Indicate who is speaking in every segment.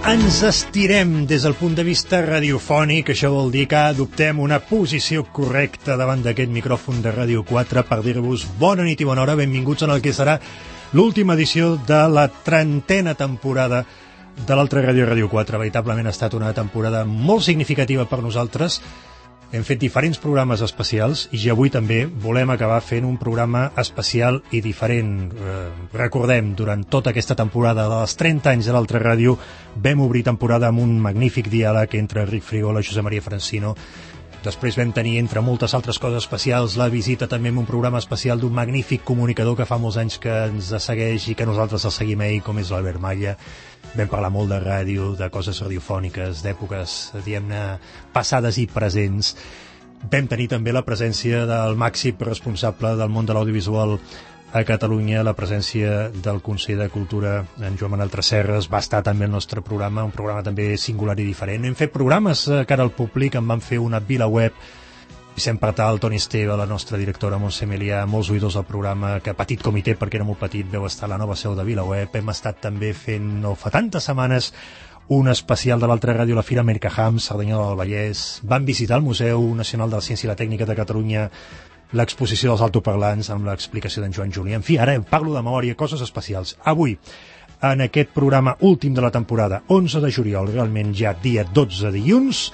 Speaker 1: ens estirem des del punt de vista radiofònic, això vol dir que adoptem una posició correcta davant d'aquest micròfon de Ràdio 4 per dir-vos bona nit i bona hora, benvinguts en el que serà l'última edició de la 30a temporada de l'altra ràdio, Ràdio 4. Veritablement ha estat una temporada molt significativa per nosaltres. Hem fet diferents programes especials i avui també volem acabar fent un programa especial i diferent. Recordem, durant tota aquesta temporada dels 30 anys de l'altra ràdio vam obrir temporada amb un magnífic diàleg entre Enric Frigola i Josep Maria Francino. Després vam tenir, entre moltes altres coses especials, la visita també en un programa especial d'un magnífic comunicador que fa molts anys que ens segueix i que nosaltres el seguim ell, com és l'Albert Malla. Vam parlar molt de ràdio, de coses radiofòniques, d'èpoques, diguem-ne, passades i presents. Vam tenir també la presència del màxim responsable del món de l'audiovisual a Catalunya, la presència del conseller de Cultura, en Joan Manuel Tresserras. Va estar també el nostre programa, un programa també singular i diferent. Hem fet programes cara al públic, en vam fer una VilaWeb, Vicent Partal, Toni Esteve, la nostra directora Montse Melià, molts oïdors del programa, que petit comitè, perquè era molt petit, veu estar a la nova seu de VilaWeb. Hem estat també fent, no fa tantes setmanes, un especial de l'altra ràdio, la Fira Americaham, Cerdanyola del Vallès. Van visitar el Museu Nacional de la Ciència i la Tècnica de Catalunya, l'exposició dels altoparlants amb l'explicació d'en Joan Julià. En fi, ara parlo de memòria, coses especials. Avui, en aquest programa últim de la temporada, 11 de juliol, realment ja dia 12 dilluns,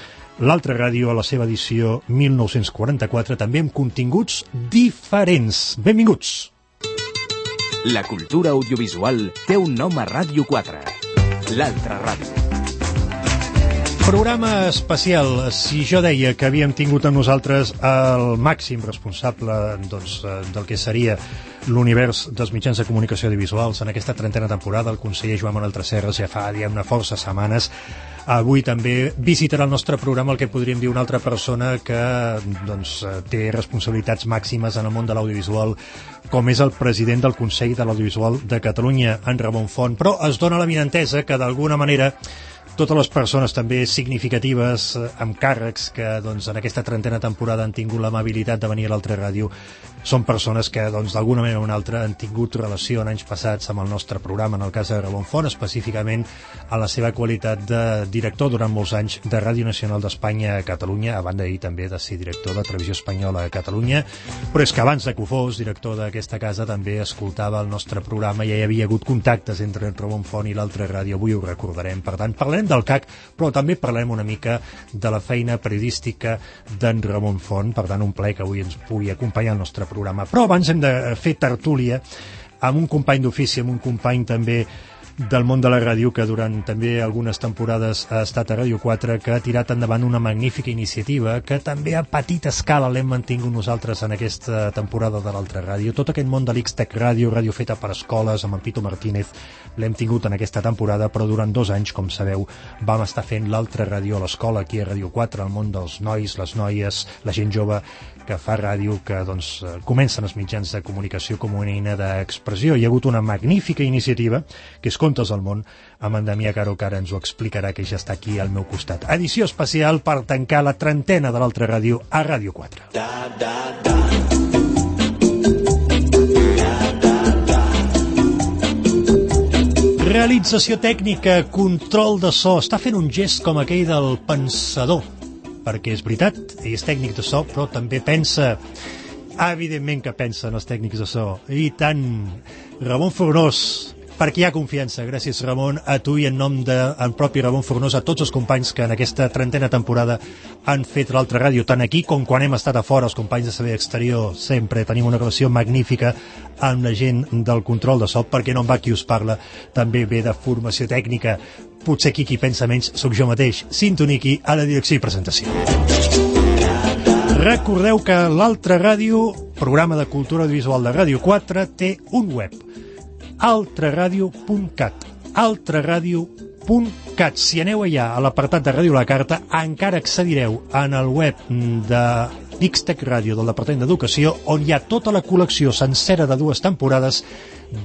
Speaker 1: l'altra ràdio a la seva edició 1944, també amb continguts diferents. Benvinguts!
Speaker 2: La cultura audiovisual té un nom a Ràdio 4, l'altra ràdio.
Speaker 1: Programa especial. Si jo deia que havíem tingut amb nosaltres el màxim responsable del que seria l'univers dels mitjans de comunicació audiovisuals en aquesta 30a temporada, el conseller Joan Manuel Tresserras, ja fa una força setmanes, avui també visitarà el nostre programa el que podríem dir una altra persona que té responsabilitats màximes en el món de l'audiovisual, com és el president del Consell de l'Audiovisual de Catalunya, en Ramon Font. Però es dona l'avinentesa que d'alguna manera totes les persones també significatives amb càrrecs que en aquesta 30a temporada han tingut l'amabilitat de venir a l'altra ràdio són persones que d'alguna manera o una altra han tingut relació en anys passats amb el nostre programa, en el cas de Ramon Font, específicament en la seva qualitat de director durant molts anys de Ràdio Nacional d'Espanya a Catalunya, a banda d'ahir també de ser director de Televisió Espanyola a Catalunya, però és que abans de que ho fos director d'aquesta casa també escoltava el nostre programa i ja hi havia hagut contactes entre Ramon Font i l'altra ràdio, avui ho recordarem. Per tant, parlarem del CAC, però també parlarem una mica de la feina periodística d'en Ramon Font. Per tant, un plaer que avui ens pugui acompanyar al nostre programa. Però abans hem de fer tertúlia amb un company d'ofici, amb un company també del món de la ràdio, que durant també algunes temporades ha estat a Ràdio 4, que ha tirat endavant una magnífica iniciativa que també a petita escala l'hem mantingut nosaltres en aquesta temporada de l'altra ràdio. Tot aquest món de l'X-Tech Ràdio, ràdio feta per escoles, amb en Pito Martínez, l'hem tingut en aquesta temporada, però durant 2 anys, com sabeu, vam estar fent l'altra ràdio a l'escola, aquí a Ràdio 4, el món dels nois, les noies, la gent jove que fa ràdio, que comencen els mitjans de comunicació com una eina d'expressió. Hi ha hagut una magnífica iniciativa, que és Contes del Món, amb en Damià Caro, que ara ens ho explicarà, que ja està aquí al meu costat. Edició especial per tancar la 30a de l'altra ràdio a Ràdio 4. Realització tècnica, control de so. Està fent un gest com aquell del pensador, perquè és veritat, ell és tècnic de so, però també pensa. Evidentment que pensa en els tècnics de so. I tant, Ramon Fornós, perquè hi ha confiança. Gràcies, Ramon, a tu i en nom del propi Ramon Fornós, a tots els companys que en aquesta 30a temporada han fet l'altra ràdio, tant aquí com quan hem estat a fora, els companys de Servei Exterior. Sempre tenim una relació magnífica amb la gent del control de so, perquè no em va qui us parla, també ve de formació tècnica. Potser aquí qui pensa menys sóc jo mateix. Sintoniqui a la direcció i presentació. Recordeu que l'altra ràdio, programa de cultura audiovisual de Ràdio 4, té un web, altraradio.cat, altraradio.cat. Si aneu allà a l'apartat de Ràdio la Carta, encara accedireu en el web de X-Tech Ràdio del Departament d'Educació, on hi ha tota la col·lecció sencera de 2 temporades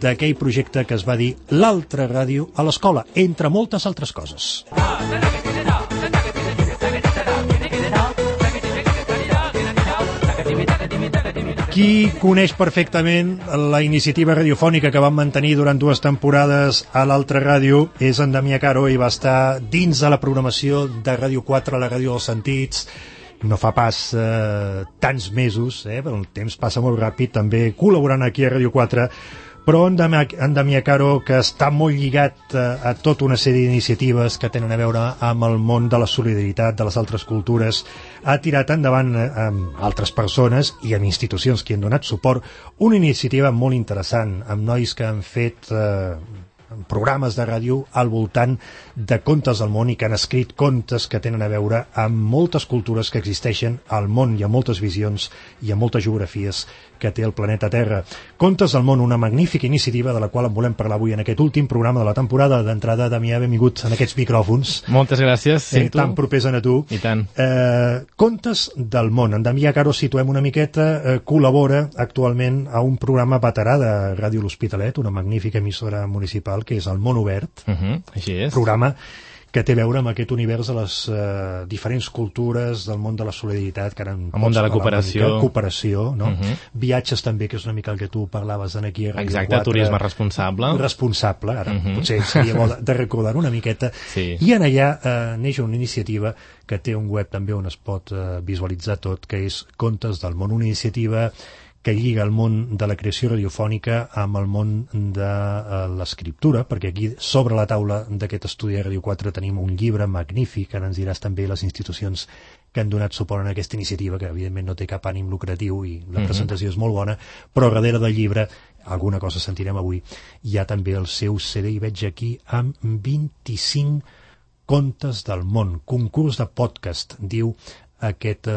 Speaker 1: d'aquell projecte que es va dir l'altra ràdio a l'escola, entre moltes altres coses. Qui coneix perfectament la iniciativa radiofònica que vam mantenir durant 2 temporades a l'altra ràdio és en Damià Caro, i va estar dins de la programació de Ràdio 4, la ràdio dels sentits, no fa pas tants mesos, però el temps passa molt ràpid, també col·laborant aquí a Ràdio 4, però en Damià Caro, que està molt lligat a tota una sèrie d'iniciatives que tenen a veure amb el món de la solidaritat, de les altres cultures, ha tirat endavant amb altres persones i amb institucions que han donat suport una iniciativa molt interessant, amb nois que han fet programes de ràdio al voltant de contes del món i que han escrit contes que tenen a veure amb moltes cultures que existeixen al món i amb moltes visions i amb moltes geografies que té el planeta Terra. Contes del món, una magnífica iniciativa de la qual en volem parlar avui en aquest últim programa de la temporada. D'entrada, Damià, benvingut en aquests micròfons.
Speaker 3: Moltes gràcies. Sí,
Speaker 1: tan propers a tu.
Speaker 3: I tant.
Speaker 1: Contes del món. En Damià Caro, situem una miqueta, col·labora actualment a un programa veterà de Ràdio L'Hospitalet, una magnífica emissora municipal, que és el Món Obert.
Speaker 3: Així és.
Speaker 1: Programa que té a veure amb aquest univers de les diferents cultures, del món de la solidaritat, que ara
Speaker 3: el món de la
Speaker 1: cooperació, no? Viatges també, que és una mica el que tu parlaves aquí a Ràdio 4.
Speaker 3: Exacte, turisme responsable.
Speaker 1: Responsable, ara potser seria bo de recordar una miqueta.
Speaker 3: Sí.
Speaker 1: I en allà neix una iniciativa que té un web també on es pot visualitzar tot, que és Contes del món, una iniciativa que lliga el món de la creació radiofònica amb el món de l'escriptura, perquè aquí sobre la taula d'aquest estudi de Ràdio 4 tenim un llibre magnífic, que ens diràs també les institucions que han donat suport a aquesta iniciativa, que evidentment no té cap ànim lucratiu i la presentació és molt bona, però darrere del llibre, alguna cosa sentirem avui, hi ha també el seu CD, i veig aquí, amb 25 contes del món, concurs de podcast, diu aquest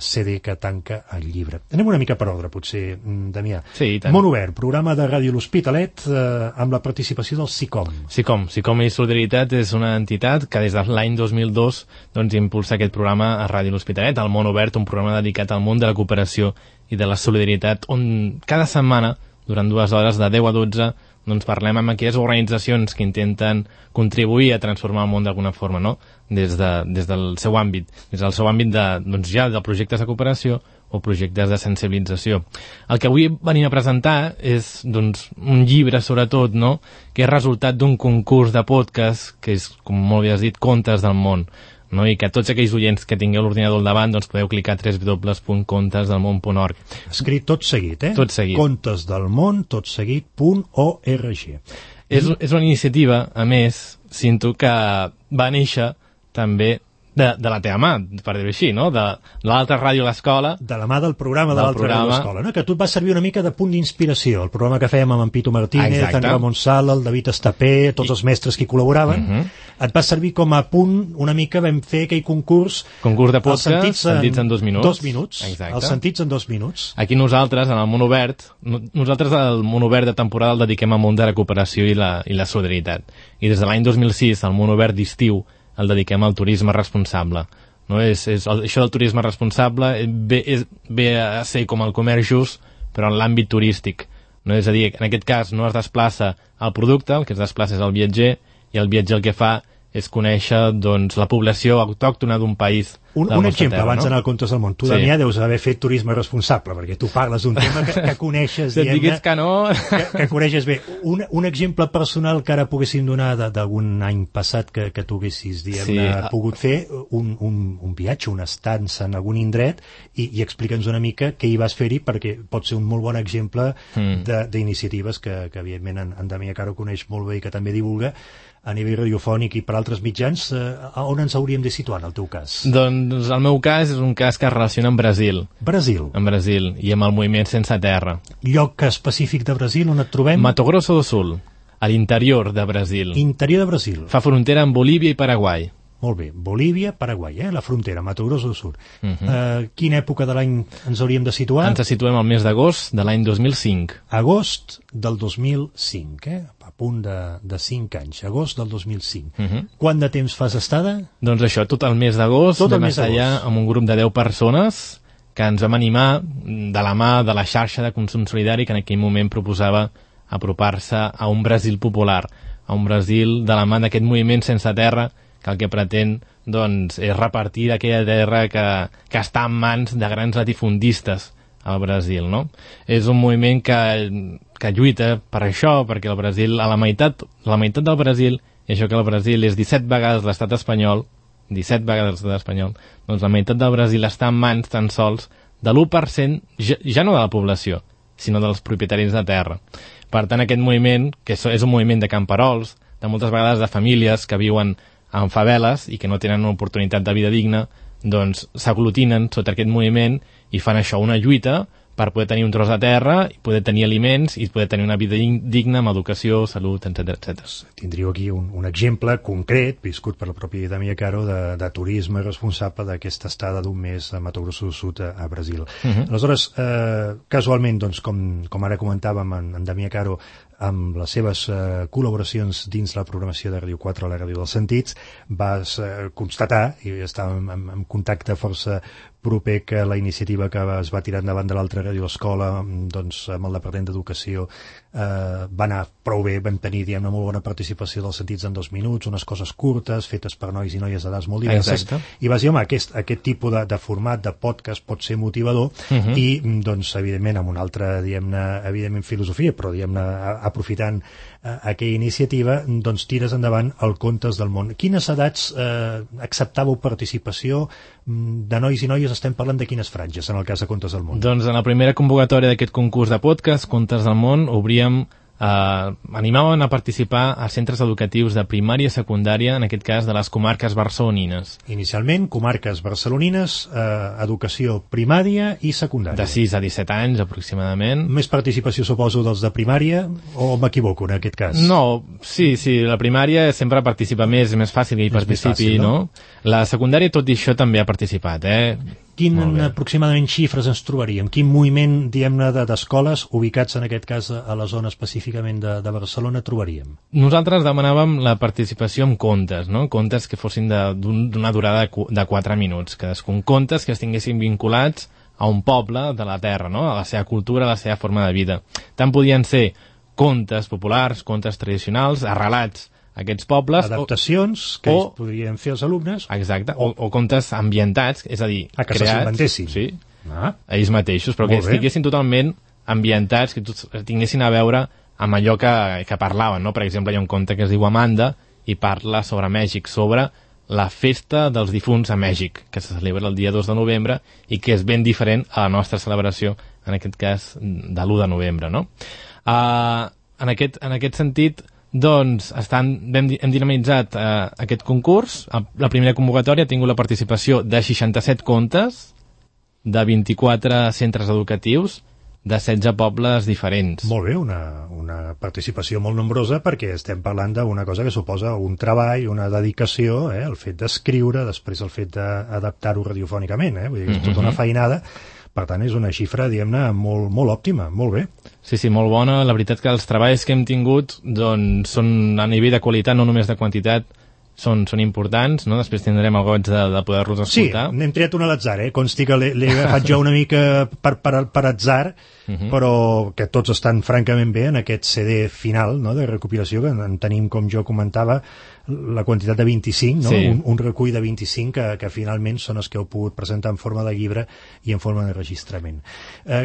Speaker 1: CD que tanca el llibre. Anem una mica per ordre, potser, Damià.
Speaker 3: Sí, i tant.
Speaker 1: Món Obert, programa de Ràdio L'Hospitalet, amb la participació del SICOM.
Speaker 3: SICOM i Solidaritat és una entitat que des de l'any 2002 impulsa aquest programa a Ràdio L'Hospitalet, el Món Obert, un programa dedicat al món de la cooperació i de la solidaritat, on cada setmana, durant 2 hores, de 10 a 12, parlem amb aquelles organitzacions que intenten contribuir a transformar el món d'alguna forma, no? Des del seu àmbit, de projectes de cooperació o projectes de sensibilització. El que avui venim a presentar és un llibre, sobretot, no? Que és resultat d'un concurs de podcast, que és, com molt bé has dit, Contes del món, no? I que tots aquells oients que tingueu l'ordinador al davant podeu clicar a www.contesdelmon.org.
Speaker 1: Escrit tot seguit,
Speaker 3: Tot seguit.
Speaker 1: Contesdelmon, tot seguit.org.
Speaker 3: És una iniciativa, a més, sinto que va néixer també de la teva mà, per dir-ho així, no? De l'altra ràdio a l'escola.
Speaker 1: De la mà del programa de l'altra ràdio a l'escola, no? Que tu et va servir una mica de punt d'inspiració. El programa que fèiem amb en Pitu Martínez, en Ramon Sala, el David Estapé, tots els mestres que hi col·laboraven, et va servir com a punt, una mica vam fer aquell concurs
Speaker 3: de podcast, sentits en 2 minuts.
Speaker 1: 2 minuts, els sentits en 2 minuts.
Speaker 3: Aquí nosaltres, en el Món Obert, el Món Obert de temporada el dediquem al món de la cooperació i la solidaritat. I des de l'any 2006, el Món Obert d'estiu, el dediquem al turisme responsable. No? Això del turisme responsable ve a ser com el comerç just, però en l'àmbit turístic. No? És a dir, en aquest cas no es desplaça el producte, el que es desplaça és el viatger, i el viatger el que fa és conèixer la població autòctona d'un país.
Speaker 1: Un exemple, abans d'anar al Contes del món. Tu, Damià, deus haver fet turisme responsable, perquè tu parles d'un tema que coneixes,
Speaker 3: diguem-ne,
Speaker 1: que coneixes bé. Un exemple personal que ara poguéssim donar d'algun any passat que tu haguessis, pogut fer un viatge, una estança en algun indret, i explica'ns una mica què hi vas fer-hi, perquè pot ser un molt bon exemple d'iniciatives que evidentment en Damià Caro coneix molt bé i que també divulga a nivell radiofònic i per altres mitjans. On ens hauríem de situar, en el teu cas?
Speaker 3: Doncs el meu cas és un cas que es relaciona amb Brasil.
Speaker 1: Brasil?
Speaker 3: En Brasil, i amb el moviment Sense Terra.
Speaker 1: Lloc específic de Brasil on et trobem?
Speaker 3: Mato Grosso do Sul, a l'interior de Brasil.
Speaker 1: Interior de Brasil.
Speaker 3: Fa frontera amb Bolívia i Paraguai.
Speaker 1: Molt bé, Bolívia, Paraguai, la frontera, Mato Grosso do Sul. Quina època de l'any ens hauríem de situar?
Speaker 3: Ens situem al mes d'agost de l'any 2005.
Speaker 1: Agost del 2005, a punt de 5 anys, agost del 2005. Quant de temps fas estada?
Speaker 3: Doncs això, tot el mes d'agost, vam estar allà amb un grup de 10 persones que ens vam animar de la mà de la xarxa de consum solidari que en aquell moment proposava apropar-se a un Brasil popular, a un Brasil de la mà d'aquest moviment Sense Terra, que el que pretén és repartir aquella terra que està en mans de grans latifundistes al Brasil, no? És un moviment que lluita per això, perquè el Brasil, la meitat del Brasil, i això que el Brasil és 17 vegades l'estat espanyol, 17 vegades l'estat espanyol, doncs la meitat del Brasil està en mans tan sols de l'1%, ja no de la població, sinó dels propietaris de terra. Per tant, aquest moviment, que és un moviment de camperols, de moltes vegades de famílies que viuen en faveles i que no tenen una oportunitat de vida digna, doncs s'aglutinen sota aquest moviment i fan això, una lluita per poder tenir un tros de terra, i poder tenir aliments i poder tenir una vida digna amb educació, salut, etc.
Speaker 1: Tindríeu aquí un exemple concret, viscut per la pròpia Damià Caro, de turisme responsable d'aquesta estada d'un mes a Mato Grosso do Sul a Brasil. Aleshores, casualment, doncs, com ara comentàvem en Damià Caro, amb les seves col·laboracions dins la programació de Ràdio 4 a la Ràdio dels Sentits, vas constatar, i estàvem en contacte força proper, que la iniciativa que es va tirar endavant de l'altra Ràdio Escola, doncs, amb el Departament d'Educació, va anar prou bé. Vam tenir, diguem-ne, molt bona participació dels Sentits en 2 minuts, unes coses curtes, fetes per nois i noies d'edats molt diverses.
Speaker 3: Exacte.
Speaker 1: I vas dir, home, aquest tipus de format de podcast pot ser motivador, i, doncs, evidentment, amb una altra, diguem-ne, evidentment filosofia, però, diguem-ne, aprofitant aquella iniciativa, doncs tires endavant el Contes del Món. Quines edats acceptàveu participació de nois i noies? Estem parlant de quines franges en el cas de Contes del Món?
Speaker 3: Doncs en la primera convocatòria d'aquest concurs de podcast, Contes del Món, obríem animaven a participar a centres educatius de primària i secundària, en aquest cas de les comarques barcelonines.
Speaker 1: Inicialment, comarques barcelonines, educació primària i secundària.
Speaker 3: De 6 a 17 anys, aproximadament.
Speaker 1: Més participació, suposo, dels de primària, o m'equivoco en aquest cas?
Speaker 3: No, sí, la primària sempre participa més, és més fàcil que hi participi, fàcil, no? La secundària, tot i això, també ha participat,
Speaker 1: Quin aproximadament xifres ens trobaríem? Quin moviment, diguem-ne, d'escoles ubicats en aquest cas a la zona específicament de Barcelona trobaríem?
Speaker 3: Nosaltres demanàvem la participació amb contes, no? Contes que fossin d'una durada de 4 minuts, cadascun contes que estiguessin vinculats a un poble de la terra, no? A la seva cultura, a la seva forma de vida. Tant podien ser contes populars, contes tradicionals, arrelats aquests pobles...
Speaker 1: Adaptacions que ells podrien fer els alumnes.
Speaker 3: Exacte, o contes ambientats, és a dir,
Speaker 1: que s'inventessin.
Speaker 3: Sí, ells mateixos, però que estiguessin totalment ambientats, que tinguessin a veure amb allò que parlaven, no? Per exemple, hi ha un conte que es diu Amanda i parla sobre Mèxic, sobre la festa dels difunts a Mèxic, que se celebra el dia 2 de novembre i que és ben diferent a la nostra celebració, en aquest cas, de l'1 de novembre, no? En aquest sentit, doncs hem dinamitzat aquest concurs. La primera convocatòria ha tingut la participació de 67 contes de 24 centres educatius de 16 pobles diferents.
Speaker 1: Molt bé, una participació molt nombrosa, perquè estem parlant d'una cosa que suposa un treball, una dedicació, el fet d'escriure, després el fet d'adaptar-ho radiofònicament, vull dir, és tota una feinada. Per tant, és una xifra, diguem-ne, molt, molt òptima, molt bé.
Speaker 3: Sí, molt bona. La veritat que els treballs que hem tingut doncs, són a nivell de qualitat, no només de quantitat, són importants, no? Després tindrem el goig de poder-los escoltar.
Speaker 1: Sí, n'hem triat un a l'atzar, consti que l'he agafat jo una mica per atzar, però que tots estan francament bé en aquest CD final, no?, de recopilació, que en tenim, com jo comentava, la quantitat de 25, no? Sí. Un recull de 25 que finalment són els que heu pogut presentar en forma de llibre i en forma de registrament.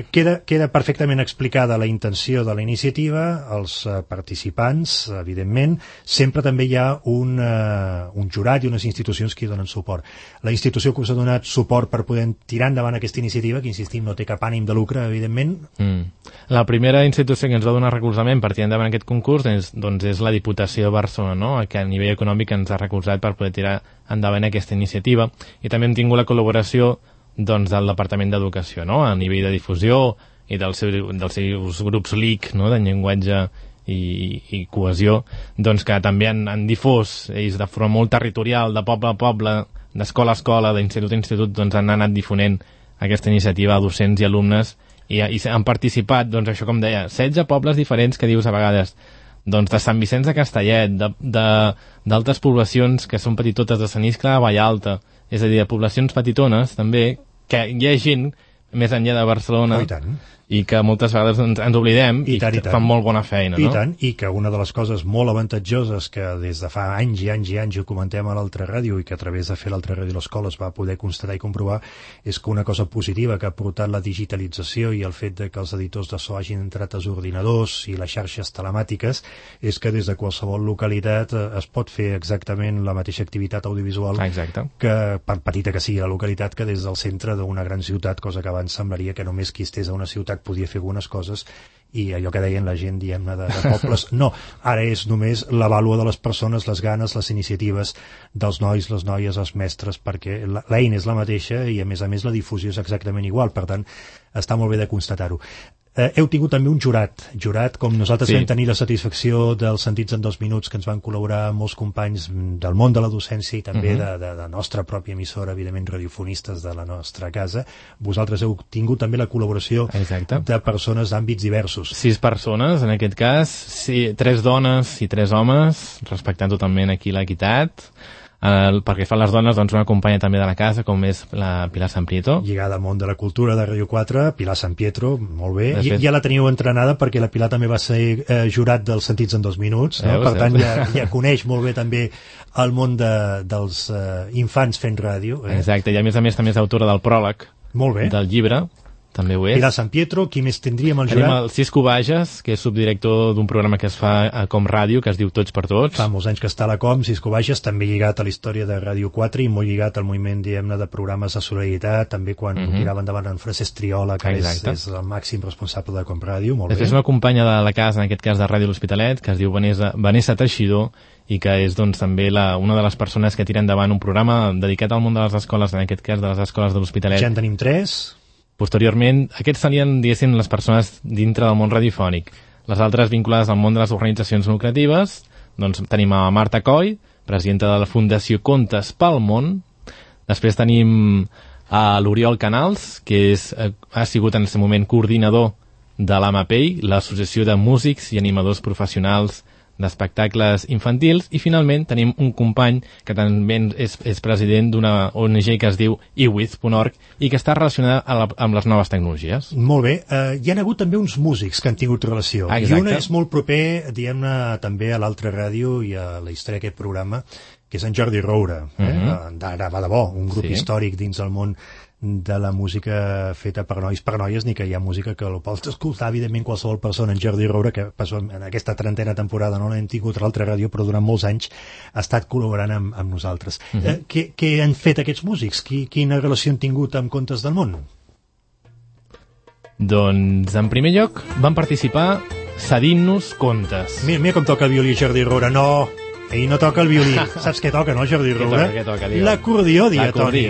Speaker 1: Queda perfectament explicada la intenció de la iniciativa, els participants, evidentment. Sempre també hi ha un jurat i unes institucions que hi donen suport. La institució que us ha donat suport per poder tirar endavant aquesta iniciativa, que insistim, no té cap ànim de lucre, evidentment.
Speaker 3: La primera institució que ens va donar recolzament per tirar endavant aquest concurs és la Diputació de Barcelona, no?, que a nivell econòmic ens ha recolzat per poder tirar endavant aquesta iniciativa, i també hem tingut la col·laboració del Departament d'Educació, no?, a nivell de difusió i dels seus grups LIC, no?, de llenguatge i cohesió, doncs que també han difós, ells de forma molt territorial, de poble a poble, d'escola a escola, d'institut a institut, doncs han anat difonent aquesta iniciativa a docents i alumnes, i han participat, doncs això com deia, 16 pobles diferents, que dius a vegades, doncs de Sant Vicenç de Castellet, d'altres poblacions que són petitotes, de Sant Iscle de Vallalta, és a dir, de poblacions petitones també, que hi ha gent més enllà de Barcelona.
Speaker 1: Oh, i tant.
Speaker 3: I que moltes vegades ens oblidem i que fan molt bona feina, no?
Speaker 1: I tant, i que una de les coses molt avantatjoses que des de fa anys i anys i anys ho comentem a l'altra ràdio i que a través de fer l'altra ràdio a l'escola es va poder constatar i comprovar és que una cosa positiva que ha portat la digitalització i el fet de que els editors de so hagin entrat als ordinadors i les xarxes telemàtiques és que des de qualsevol localitat es pot fer exactament la mateixa activitat audiovisual que, per petita que sigui la localitat, que des del centre d'una gran ciutat, cosa que abans semblaria que només qui estés a una ciutat podia fer algunes coses i allò que deien la gent, diguem-ne, de pobles. No, ara és només la vàlua de les persones, les ganes, les iniciatives dels nois, les noies, els mestres, perquè l'eina és la mateixa i, a més, la difusió és exactament igual. Per tant, està molt bé de constatar-ho. Heu tingut també un jurat com nosaltres vam tenir la satisfacció dels Sentits en 2 minuts, que ens van col·laborar molts companys del món de la docència i també de nostra pròpia emissora, evidentment radiofonistes de la nostra casa. Vosaltres heu tingut també la col·laboració de persones d'àmbits diversos.
Speaker 3: 6 persones, en aquest cas, 3 dones i 3 homes, respectant totalment aquí l'equitat. Perquè fa les dones, doncs, una companya també de la casa, com és la Pilar San Pietro.
Speaker 1: Lligada al món de la cultura de Ràdio 4, Pilar San Pietro, molt bé. Ja la teniu entrenada perquè la Pilar també va ser jurat dels Sentits en 2 minuts, no? Per tant, ja coneix molt bé també el món dels infants fent ràdio.
Speaker 3: Exacte, i a més també és autora del pròleg del llibre. També ho és.
Speaker 1: Pilar San Pietro, qui més tindríem al jurat?
Speaker 3: Tenim el Cisco Bages, que és subdirector d'un programa que es fa a Com Ràdio, que es diu Tots per Tots.
Speaker 1: Fa molts anys que està a la Com, Cisco Bages, també lligat a la història de Ràdio 4 i molt lligat al moviment, diguem-ne, de programes de solidaritat, també quan tirava endavant en Francesc Triola, que és el màxim responsable de Com Ràdio, molt bé.
Speaker 3: És una companya de la casa, en aquest cas de Ràdio L'Hospitalet, que es diu Vanessa Teixidor, i que és doncs, també una de les persones que tira endavant un programa dedicat al món de les escoles, en aquest cas de les escoles de l'Hospitalet.
Speaker 1: Ja en tenim 3.
Speaker 3: Posteriorment, aquests serien, diguéssim, les persones dintre del món radiofònic. Les altres vinculades al món de les organitzacions lucratives, doncs tenim a Marta Coll, presidenta de la Fundació Contes pel Món. Després tenim a l'Oriol Canals, que ha sigut en aquest moment coordinador de l'AMAPEI, l'Associació de Músics i Animadors Professionals d'Espectacles Infantils, i finalment tenim un company que també és president d'una ONG que es diu iWith.org i que està relacionada amb les noves tecnologies.
Speaker 1: Molt bé. Hi ha hagut també uns músics que han tingut relació. I una és molt proper, diguem-ne, també a l'altra ràdio i a la història d'aquest programa, que és en Jordi Roura. D'Ara va de bo, un grup històric dins el món de la música feta per nois, per noies, ni que hi ha música que el pots escoltar, evidentment, qualsevol persona. En Jordi Roura, que en aquesta 30a temporada no l'hem tingut a l'altra ràdio, però durant molts anys ha estat col·laborant amb nosaltres. Què han fet aquests músics? Quina relació han tingut amb Contes del Món?
Speaker 3: Doncs, en primer lloc, van participar cedint-nos contes.
Speaker 1: Mira com toca el violí Jordi Roura. No, ell no toca el violí. Saps què toca, no, Jordi Roura?
Speaker 3: Què toca?
Speaker 1: L'acordió diatònic.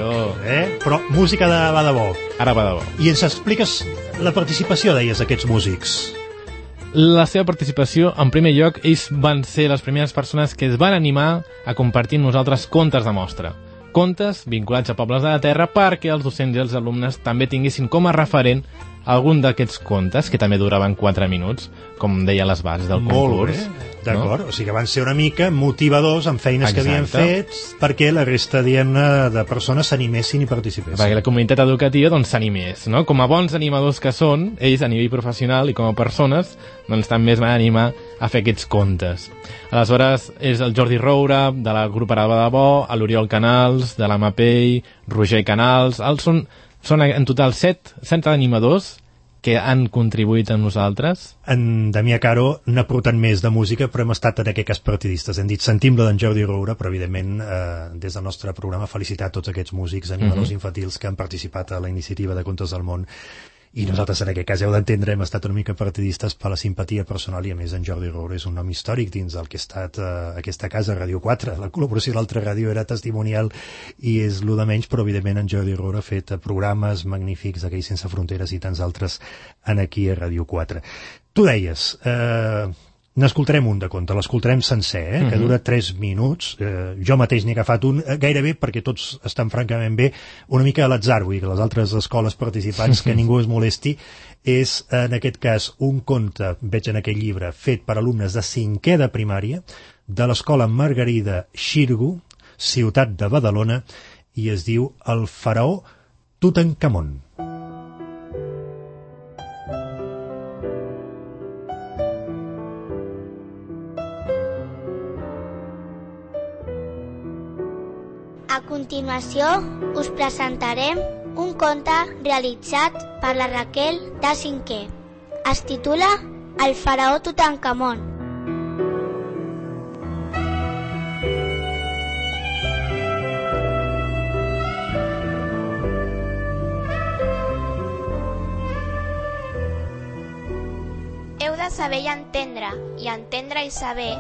Speaker 1: Però música va de bo.
Speaker 3: Ara va de bo.
Speaker 1: I ens expliques la participació, deies, d'aquests músics.
Speaker 3: La seva participació, en primer lloc, ells van ser les primeres persones que es van animar a compartir amb nosaltres contes de mostra. Contes vinculats a pobles de la terra perquè els docents i els alumnes també tinguessin com a referent algun d'aquests contes, que també duraven 4 minuts, com deia les bases del concurs.
Speaker 1: Molt bé, d'acord. O sigui que van ser una mica motivadors en feines que havien fet perquè la resta, diguem-ne, de persones s'animessin i participessin.
Speaker 3: Perquè la comunitat educativa doncs s'animés, no? Com a bons animadors que són, ells a nivell professional i com a persones, doncs també es van animar a fer aquests contes. Aleshores, és el Jordi Roura, de la grup Ara va de bo, l'Oriol Canals, de l'AMAPEI, Roger Canals, són en total 7 animadors que han contribuït amb nosaltres.
Speaker 1: En Damià Caro n'ha portat més de música, però hem estat en aquest cas partidistes. Hem dit, sentim-la d'en Jordi Roura, però evidentment des del nostre programa felicitar tots aquests músics, animadors infantils que han participat a la iniciativa de Contes del Món. I nosaltres, en aquest cas, heu d'entendre, hem estat una mica partidistes per la simpatia personal i, a més, en Jordi Roura és un nom històric dins del que ha estat aquesta casa, Ràdio 4. La col·laboració de l'altra ràdio era testimonial i és lo de menys, però, evidentment, en Jordi Roura ha fet programes magnífics d'aquells sense fronteres i tants altres aquí a Ràdio 4. Tu deies... N'escoltarem un de conte, l'escoltarem sencer, que dura 3 minuts. Jo mateix n'he agafat un, gairebé, perquè tots estan francament bé, una mica a l'atzar, vull dir que les altres escoles participants, que ningú es molesti, és, en aquest cas, un conte, veig en aquell llibre, fet per alumnes de 5è de primària, de l'escola Margarida Xirgu, ciutat de Badalona, i es diu El faraó Tutankamon.
Speaker 4: A continuació, us presentarem un conte realitzat per la Raquel de 5è. Es titula El faraó Tutankamon.
Speaker 5: Heu de saber i entendre i saber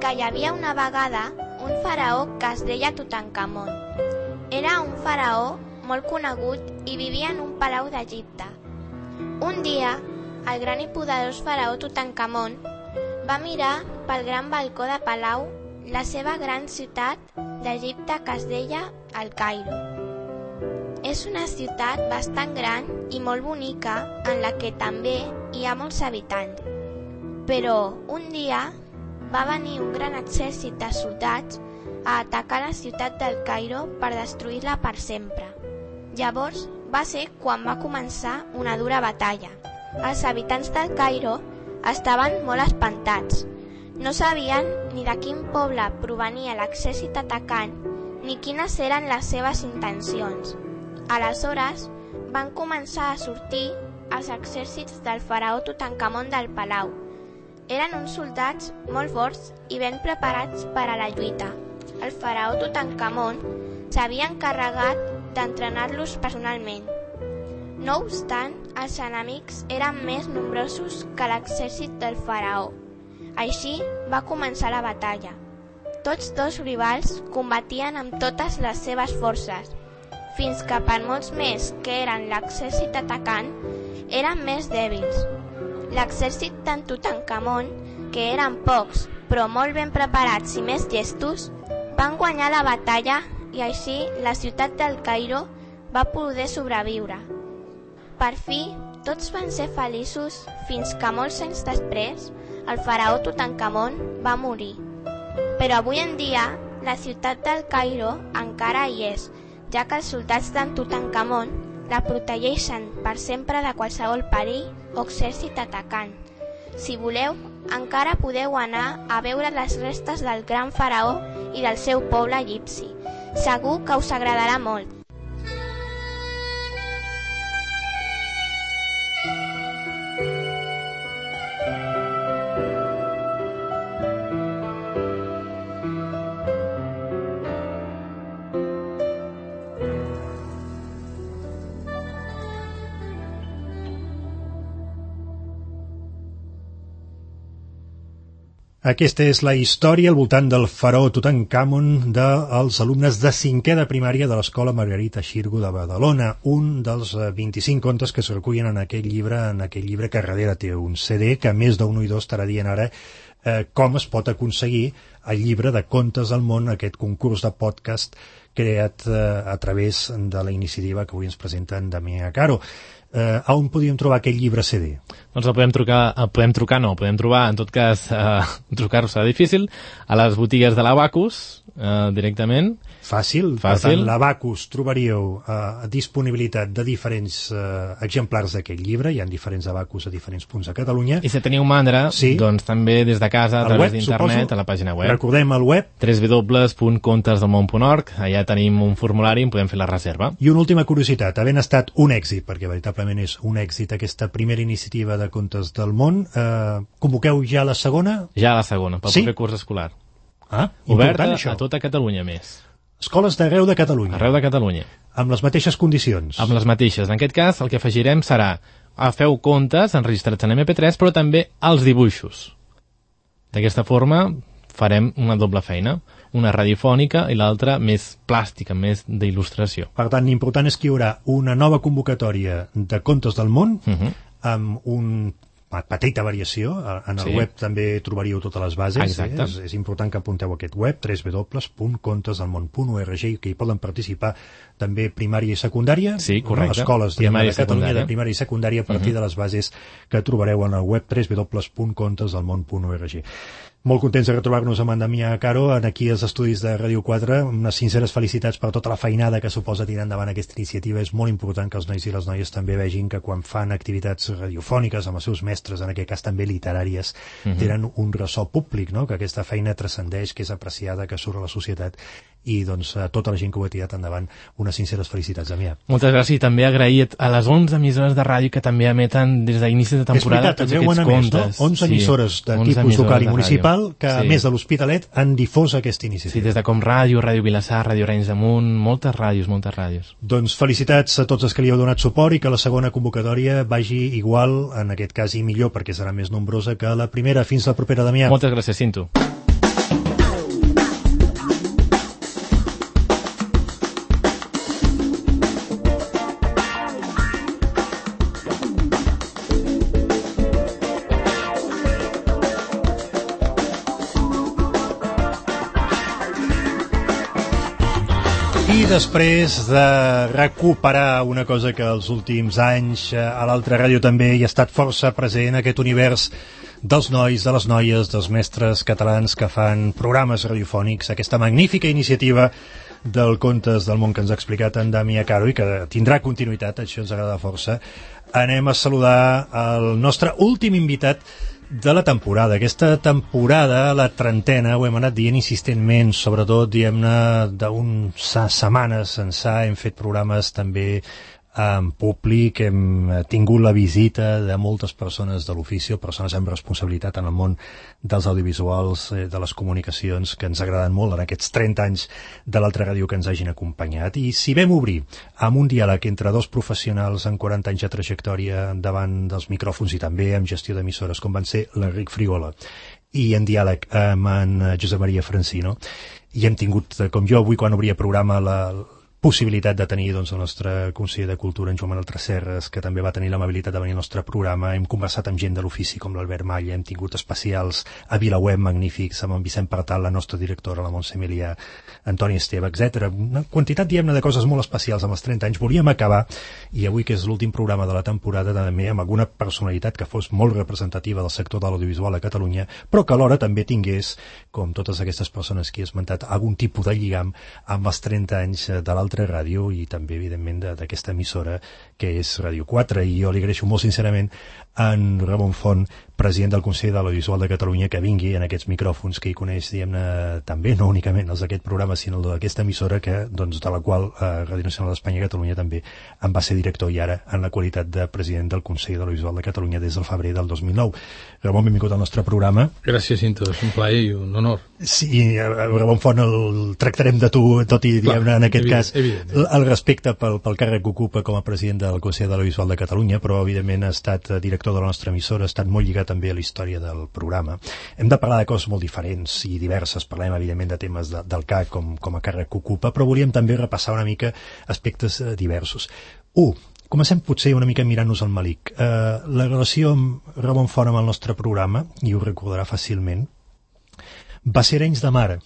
Speaker 5: que hi havia una vegada un faraó que es deia Tutankamon. Era un faraó molt conegut i vivia en un palau d'Egipte. Un dia, el gran i poderós faraó Tutankamon va mirar pel gran balcó de palau la seva gran ciutat d'Egipte que es deia el Cairo. És una ciutat bastant gran i molt bonica en la que també hi ha molts habitants. Però un dia va venir un gran exèrcit de soldats a atacar la ciutat del Cairo per destruir-la per sempre. Llavors va ser quan va començar una dura batalla. Els habitants del Cairo estaven molt espantats. No sabien ni de quin poble provenia l'exèrcit atacant ni quines eren les seves intencions. Aleshores van començar a sortir els exèrcits del faraó Tutankamon del palau. Eren uns soldats molt forts i ben preparats per a la lluita. El faraó Tutankamon s'havia encarregat d'entrenar-los personalment. No obstant, els enemics eren més nombrosos que l'exèrcit del faraó. Així va començar la batalla. Tots dos rivals combatien amb totes les seves forces, fins que per molts més que eren l'exèrcit atacant, eren més dèbils. L'exèrcit d'en Tutankamon, que eren pocs però molt ben preparats i més llestos, van guanyar la batalla i així la ciutat del Cairo va poder sobreviure. Per fi, tots van ser feliços fins que molts anys després el faraó Tutankamon va morir. Però avui en dia la ciutat del Cairo encara hi és, ja que els soldats d'en Tutankamon la protegeixen per sempre de qualsevol perill o exèrcit atacant. Si voleu, encara podeu anar a veure les restes del gran faraó i del seu poble egipci. Segur que us agradarà molt.
Speaker 1: Aquesta és la història al voltant del faraó Tutankamon dels alumnes de 5è de primària de l'Escola Margarita Xirgu de Badalona, un dels 25 contes que es recullen en aquell llibre que darrere té un CD, que més d'un oïdor estarà dient ara com es pot aconseguir el llibre de Contes del món, aquest concurs de podcast creat a través de la iniciativa que avui ens presenta en Damià Caro. On podíem trobar aquest llibre CD?
Speaker 3: Doncs podem trobar, en tot cas, trucar-ho serà difícil, a les botigues de l'Abacus, directament.
Speaker 1: Fàcil. Per tant, l'Abacus trobaríeu disponibilitat de diferents exemplars d'aquest llibre, hi ha diferents Abacus a diferents punts de Catalunya.
Speaker 3: I si teniu mandra, doncs també des de casa, a través d'internet, a la pàgina web.
Speaker 1: Recordem el web.
Speaker 3: www.contesdelmón.org, allà tenim un formulari i podem fer la reserva.
Speaker 1: I una última curiositat, havent estat un èxit, perquè veritablement és un èxit aquesta primera iniciativa de Contes del món, convoqueu ja la segona?
Speaker 3: Ja la segona, pel proper curs escolar.
Speaker 1: Oberta
Speaker 3: a tota Catalunya més.
Speaker 1: Escoles d'arreu de Catalunya.
Speaker 3: Arreu de Catalunya.
Speaker 1: Amb les mateixes condicions.
Speaker 3: Amb les mateixes. En aquest cas, el que afegirem serà feu contes enregistrats en MP3, però també els dibuixos. D'aquesta forma farem una doble feina, una radiofònica i l'altra més plàstica, més d'il·lustració.
Speaker 1: Per tant, l'important és que hi haurà una nova convocatòria de Contes del món amb un petita variació. En el web també trobaríeu totes les bases. És important que apunteu aquest web, www.contesdelmon.org, i que hi poden participar també primària i secundària.
Speaker 3: Sí, correcte.
Speaker 1: Escoles de Catalunya de primària i secundària a partir de les bases que trobareu en el web www.contesdelmon.org. Molt contents de retrobar-nos amb en Damià Caro aquí als estudis de Ràdio 4. Unes sinceres felicitats per tota la feinada que suposa tirar endavant aquesta iniciativa. És molt important que els nois i les noies també vegin que quan fan activitats radiofòniques amb els seus mestres, en aquest cas també literàries, tenen un ressò públic, no? Que aquesta feina transcendeix, que és apreciada, que surt a la societat i doncs a tota la gent que ho ha tirat endavant unes sinceres felicitats, Damià.
Speaker 3: Moltes gràcies, i també agrair a les 11 emissores de ràdio que també emeten des d'inici de temporada tots aquests contes.
Speaker 1: 11 emissores de tipus local i municipal que a més de l'Hospitalet han difós aquesta iniciativa.
Speaker 3: Sí, des de Com Ràdio, Ràdio Vilassar, Ràdio Arenys de Munt, moltes ràdios.
Speaker 1: Doncs felicitats a tots els que li heu donat suport i que la segona convocatòria vagi igual, en aquest cas i millor, perquè serà més nombrosa que la primera. Fins la propera, Damià.
Speaker 3: Moltes gràcies, Cinto.
Speaker 1: I després de recuperar una cosa que els últims anys a l'altra ràdio també hi ha estat força present, aquest univers dels nois, de les noies, dels mestres catalans que fan programes radiofònics, aquesta magnífica iniciativa del Contes del Món que ens ha explicat en Damià Caro i que tindrà continuïtat, això ens agrada força. Anem a saludar el nostre últim invitat de la temporada. Aquesta temporada, la 30ena, ho hem anat dient insistentment, sobretot, diguem-ne, d'unes setmanes ençà, hem fet programes també en públic, hem tingut la visita de moltes persones de l'ofici, persones amb responsabilitat en el món dels audiovisuals, de les comunicacions, que ens agraden molt en aquests 30 anys de l'altra ràdio que ens hagin acompanyat. I si vam obrir amb un diàleg entre dos professionals amb 40 anys de trajectòria davant dels micròfons i també amb gestió d'emissores, com van ser l'Enric Frigola i en diàleg amb en Josep Maria Francino, i hem tingut, com jo avui quan obria programa, la possibilitat de tenir doncs, el nostre conseller de Cultura, en Joan Manuel Tresserras, que també va tenir l'amabilitat de venir al nostre programa. Hem conversat amb gent de l'ofici com l'Albert Malla, hem tingut especials a VilaWeb magnífics, amb en Vicent Partal, la nostra directora, la Montse Emilià, Antoni Esteve, etc. Una quantitat, diguem-ne, de coses molt especials amb els 30 anys. Volíem acabar, i avui que és l'últim programa de la temporada, també amb alguna personalitat que fos molt representativa del sector de l'audiovisual a Catalunya, però que alhora també tingués, com totes aquestes persones que he esmentat, algun tipus de lligam amb els 30 anys de l'altre ràdio i també, evidentment, d'aquesta emissora que és Ràdio 4. I jo li agraeixo molt sincerament a en Ramon Font, president del Consell de l'Audiovisual de Catalunya, que vingui en aquests micròfons, que hi coneix, diguem-ne, també, no únicament els d'aquest programa, sinó el d'aquesta emissora, que, doncs, de la qual Ràdio Nacional d'Espanya i Catalunya també en va ser director i ara en la qualitat de president del Consell de l'Audiovisual de Catalunya des del febrer del 2009. Ramon, benvingut al nostre programa.
Speaker 6: Gràcies, Cinto, és un plaer i un honor.
Speaker 1: Sí, Ramon Font el tractarem de tu, tot i, diguem-ne, en aquest cas, el respecte pel càrrec que ocupa com a president del Consell de l'Audiovisual de Catalunya, però, evidentment, ha estat director de la nostra emissora, ha estat molt lligat també a la història del programa. Hem de parlar de coses molt diferents i diverses, parlem, evidentment, de temes del CAC com a càrrec que ocupa, però volíem també repassar una mica aspectes diversos. Comencem potser una mica mirant-nos al malic. La relació amb Ramon Font amb el nostre programa, i ho recordarà fàcilment, va ser Arenys de Mar.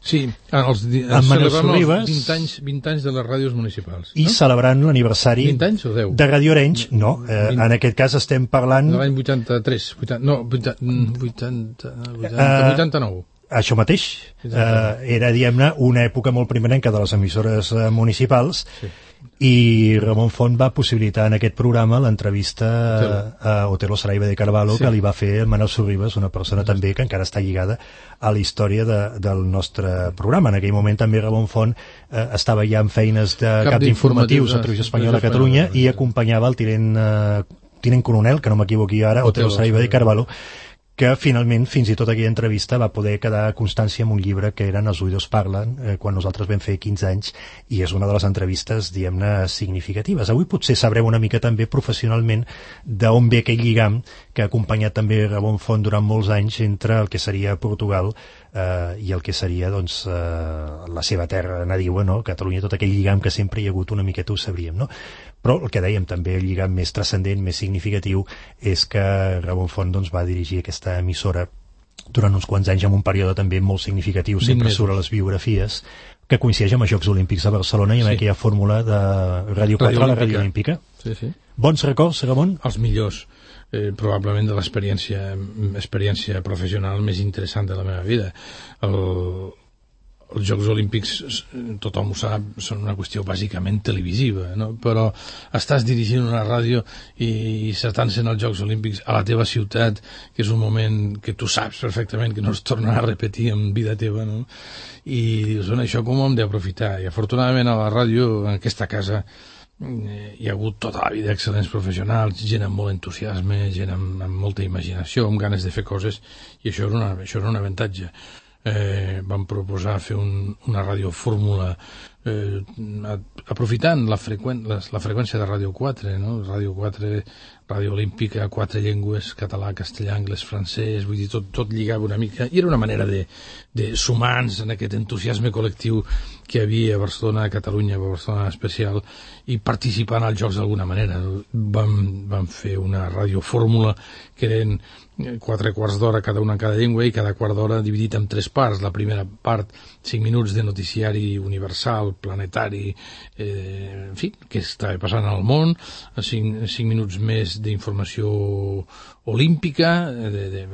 Speaker 6: Sí, celebrant els 20 anys de les ràdios municipals.
Speaker 1: I celebrant l'aniversari
Speaker 6: 20 anys o 10?
Speaker 1: De Radio Arenys, no, en aquest cas estem parlant...
Speaker 6: De l'any 83, 89.
Speaker 1: Això mateix, era, diguem-ne, una època molt primerenca de les emissores municipals, sí. I Ramon Font va possibilitar en aquest programa l'entrevista a Otelo Saraiva de Carvalho, sí. Que li va fer Manel Sorribas, una persona també que encara està lligada a la història del nostre programa. En aquell moment també Ramon Font estava ja en feines de cap d'informatius a Televisió Espanyola a Catalunya i acompanyava el tinent coronel, que no m'equivoqui ara, Otelo Saraiva de Carvalho, que finalment, fins i tot aquella entrevista, va poder quedar constància amb un llibre que eren Els oïdors parlen, quan nosaltres vam fer 15 anys, i és una de les entrevistes, diguem-ne, significatives. Avui potser sabrem una mica també professionalment d'on ve aquell lligam que ha acompanyat també Ramon Font durant molts anys entre el que seria Portugal i el que seria, doncs, la seva terra nadiua, no? Catalunya, tot aquell lligam que sempre hi ha hagut una miqueta, ho sabríem, no? Però el que dèiem també, el lligam més transcendent, més significatiu, és que Ramon Font, doncs, va dirigir aquesta emissora durant uns quants anys, en un període també molt significatiu, sempre surt a les biografies, que coincideix amb els Jocs Olímpics de Barcelona i amb aquella fórmula de Ràdio 4 a la Ràdio Olímpica.
Speaker 6: Sí, sí.
Speaker 1: Bons records, Ramon?
Speaker 6: Els millors. Probablement de l'experiència professional més interessant de la meva vida. els Jocs Olímpics, tothom ho sap, són una qüestió bàsicament televisiva, no? Però estàs dirigint una ràdio i s'atancen els Jocs Olímpics a la teva ciutat, que és un moment que tu saps perfectament que no es tornarà a repetir en vida teva, no? I dius, això com ho hem d'aprofitar? I afortunadament a la ràdio, en aquesta casa, hi ha hagut tota la vida excel·lents professionals, gent amb molt entusiasme, gent amb molta imaginació, amb ganes de fer coses, i això era un avantatge. Vam proposar fer una radiofórmula aprofitant la freqüència de Ràdio 4, no? Ràdio 4, Ràdio Olímpica, 4 llengües, català, castellà, anglès, francès, vull dir, tot lligava una mica, i era una manera de sumar-nos en aquest entusiasme col·lectiu que hi havia a Barcelona, a Catalunya, a Barcelona especial, i participant als Jocs d'alguna manera. Vam fer una radiofórmula que eren 4 quarts d'hora cada una en cada llengua i cada quart d'hora dividit en 3 parts. La primera part, 5 minuts de noticiari universal, planetari, en fi, què estava passant al món, 5 minuts més d'informació olímpica, de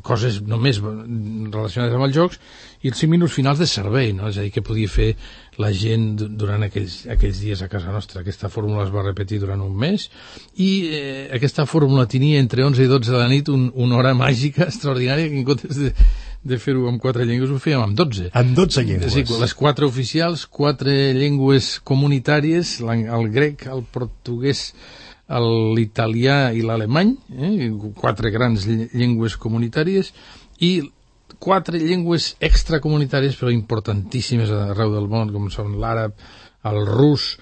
Speaker 6: coses només relacionades amb els Jocs, i els 5 minuts finals de servei, no? És a dir, que podia fer la gent durant aquells dies a casa nostra. Aquesta fórmula es va repetir durant un mes, i aquesta fórmula tenia entre 11 i 12 de la nit una hora màgica extraordinària, que en comptes de fer-ho amb 4 llengües ho fèiem amb 12.
Speaker 1: Amb 12 llengües.
Speaker 6: Sí, les 4 oficials, 4 llengües comunitàries, el grec, el portuguès, l'italià i l'alemany, 4 grans llengües comunitàries, i 4 llengües extracomunitàries però importantíssimes arreu del món, com són l'àrab, el rus,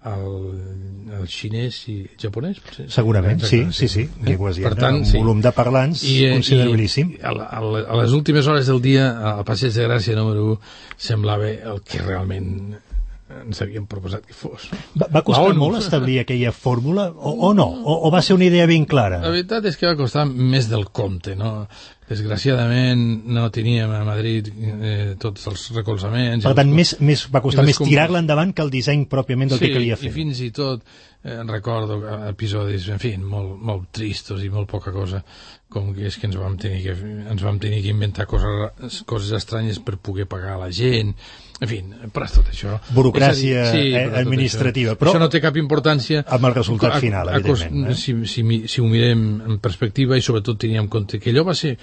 Speaker 6: el xinès i el japonès, potser?
Speaker 1: Segurament, sí. Llengües, per tant, un volum de parlants considerabilíssim.
Speaker 6: I a les últimes hores del dia, al Passeig de Gràcia número 1, semblava el que realment ens havíem proposat que fos.
Speaker 1: Va costar molt establir aquella fórmula o no? O va ser una idea ben clara?
Speaker 6: La veritat és que va costar més del compte, no? Desgraciadament no teníem a Madrid tots els recolzaments.
Speaker 1: Per tant, va costar més tirar-la endavant que el disseny pròpiament del que calia fer.
Speaker 6: Sí, i fins i tot recordo episodis, en fi, molt tristos i molt poca cosa, com que és que ens vam tenir que inventar coses estranyes per poder pagar a la gent, en fi, per tot això.
Speaker 1: Burocràcia administrativa.
Speaker 6: Però això no té cap importància
Speaker 1: amb el resultat final, evidentment.
Speaker 6: Si ho mirem en perspectiva, i sobretot teníem en compte que allò va ser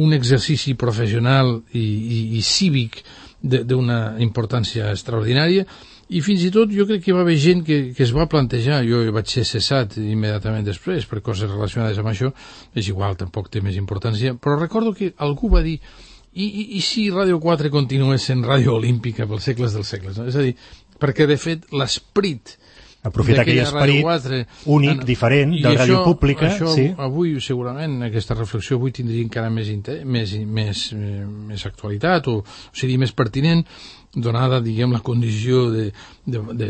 Speaker 6: un exercici professional i cívic d'una importància extraordinària, i fins i tot jo crec que hi va haver gent que es va plantejar. Jo vaig ser cessat immediatament després per coses relacionades amb això, és igual, tampoc té més importància, però recordo que algú va dir i si Ràdio 4 continués sent Ràdio Olímpica pels segles dels segles, no? És a dir, perquè de fet l'esperit
Speaker 1: aprofitar aquell esperit únic, diferent, de ràdio pública.
Speaker 6: Això
Speaker 1: sí.
Speaker 6: Avui, segurament, aquesta reflexió avui tindria encara més actualitat, o seria més pertinent, donada, diguem, la condició de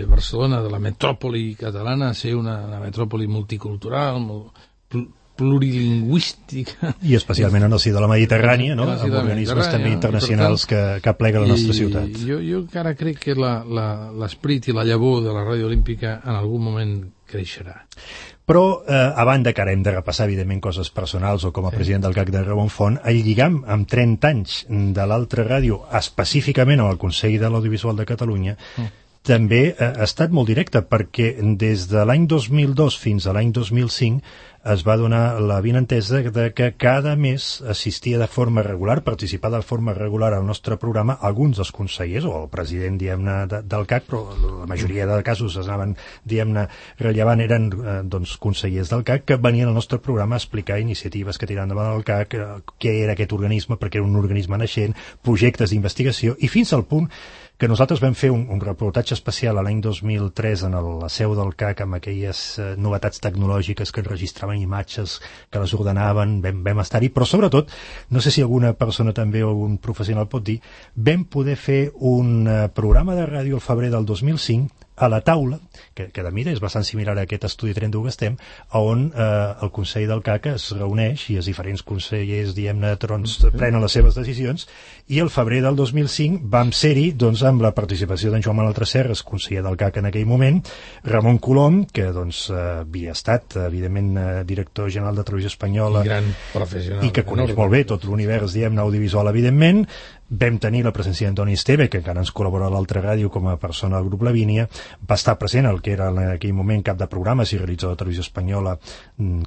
Speaker 6: Barcelona, de la metròpoli catalana, ser una metròpoli multicultural, plurilingüística.
Speaker 1: I especialment en el si de la Mediterrània, no? Amb organismes també internacionals que aplega la nostra ciutat.
Speaker 6: Jo encara crec que l'esperit i la llavor de la Ràdio Olímpica en algun moment creixerà.
Speaker 1: Però, a banda que ara hem de repassar, evidentment, coses personals, o com a president del CAC de Ramon Font, el lligam amb 30 anys de l'altra ràdio, específicament amb el Consell de l'Audiovisual de Catalunya, també ha estat molt directe, perquè des de l'any 2002 fins a l'any 2005 es va donar l'avinentesa de que cada mes assistia de forma regular, participava de forma regular al nostre programa alguns dels consellers, o el president, diguem-ne, del CAC, però la majoria de casos es anaven, diguem-ne, rellevant, eren consellers del CAC que venien al nostre programa a explicar iniciatives que tiraven endavant el CAC, què era aquest organisme, perquè era un organisme naixent, projectes d'investigació, i fins al punt que nosaltres vam fer un reportatge especial a l'any 2003 en la seu del CAC amb aquelles novetats tecnològiques que enregistraven imatges, que les ordenaven, vam estar-hi, però sobretot, no sé si alguna persona també o algun professional pot dir, vam poder fer un programa de ràdio al febrer del 2005 a la taula, que de mida és bastant similar a aquest estudi 31 que estem, on el Consell del CAC es reuneix i els diferents consellers, diguem-ne, prenen les seves decisions, i el febrer del 2005 vam ser-hi, doncs, amb la participació d'en Joan Manuel Tresserras, conseller del CAC en aquell moment, Ramon Colom, que, doncs, havia estat, evidentment, director general de Televisió Espanyola,
Speaker 6: i gran professional,
Speaker 1: i que coneix molt bé tot l'univers, diguem-ne, audiovisual, evidentment, vam tenir la presència d'Antoni Esteve, que encara ens col·labora a l'altra ràdio com a persona del grup Lavínia, va estar present el que era en aquell moment cap de programes i realitzador de Televisió Espanyola,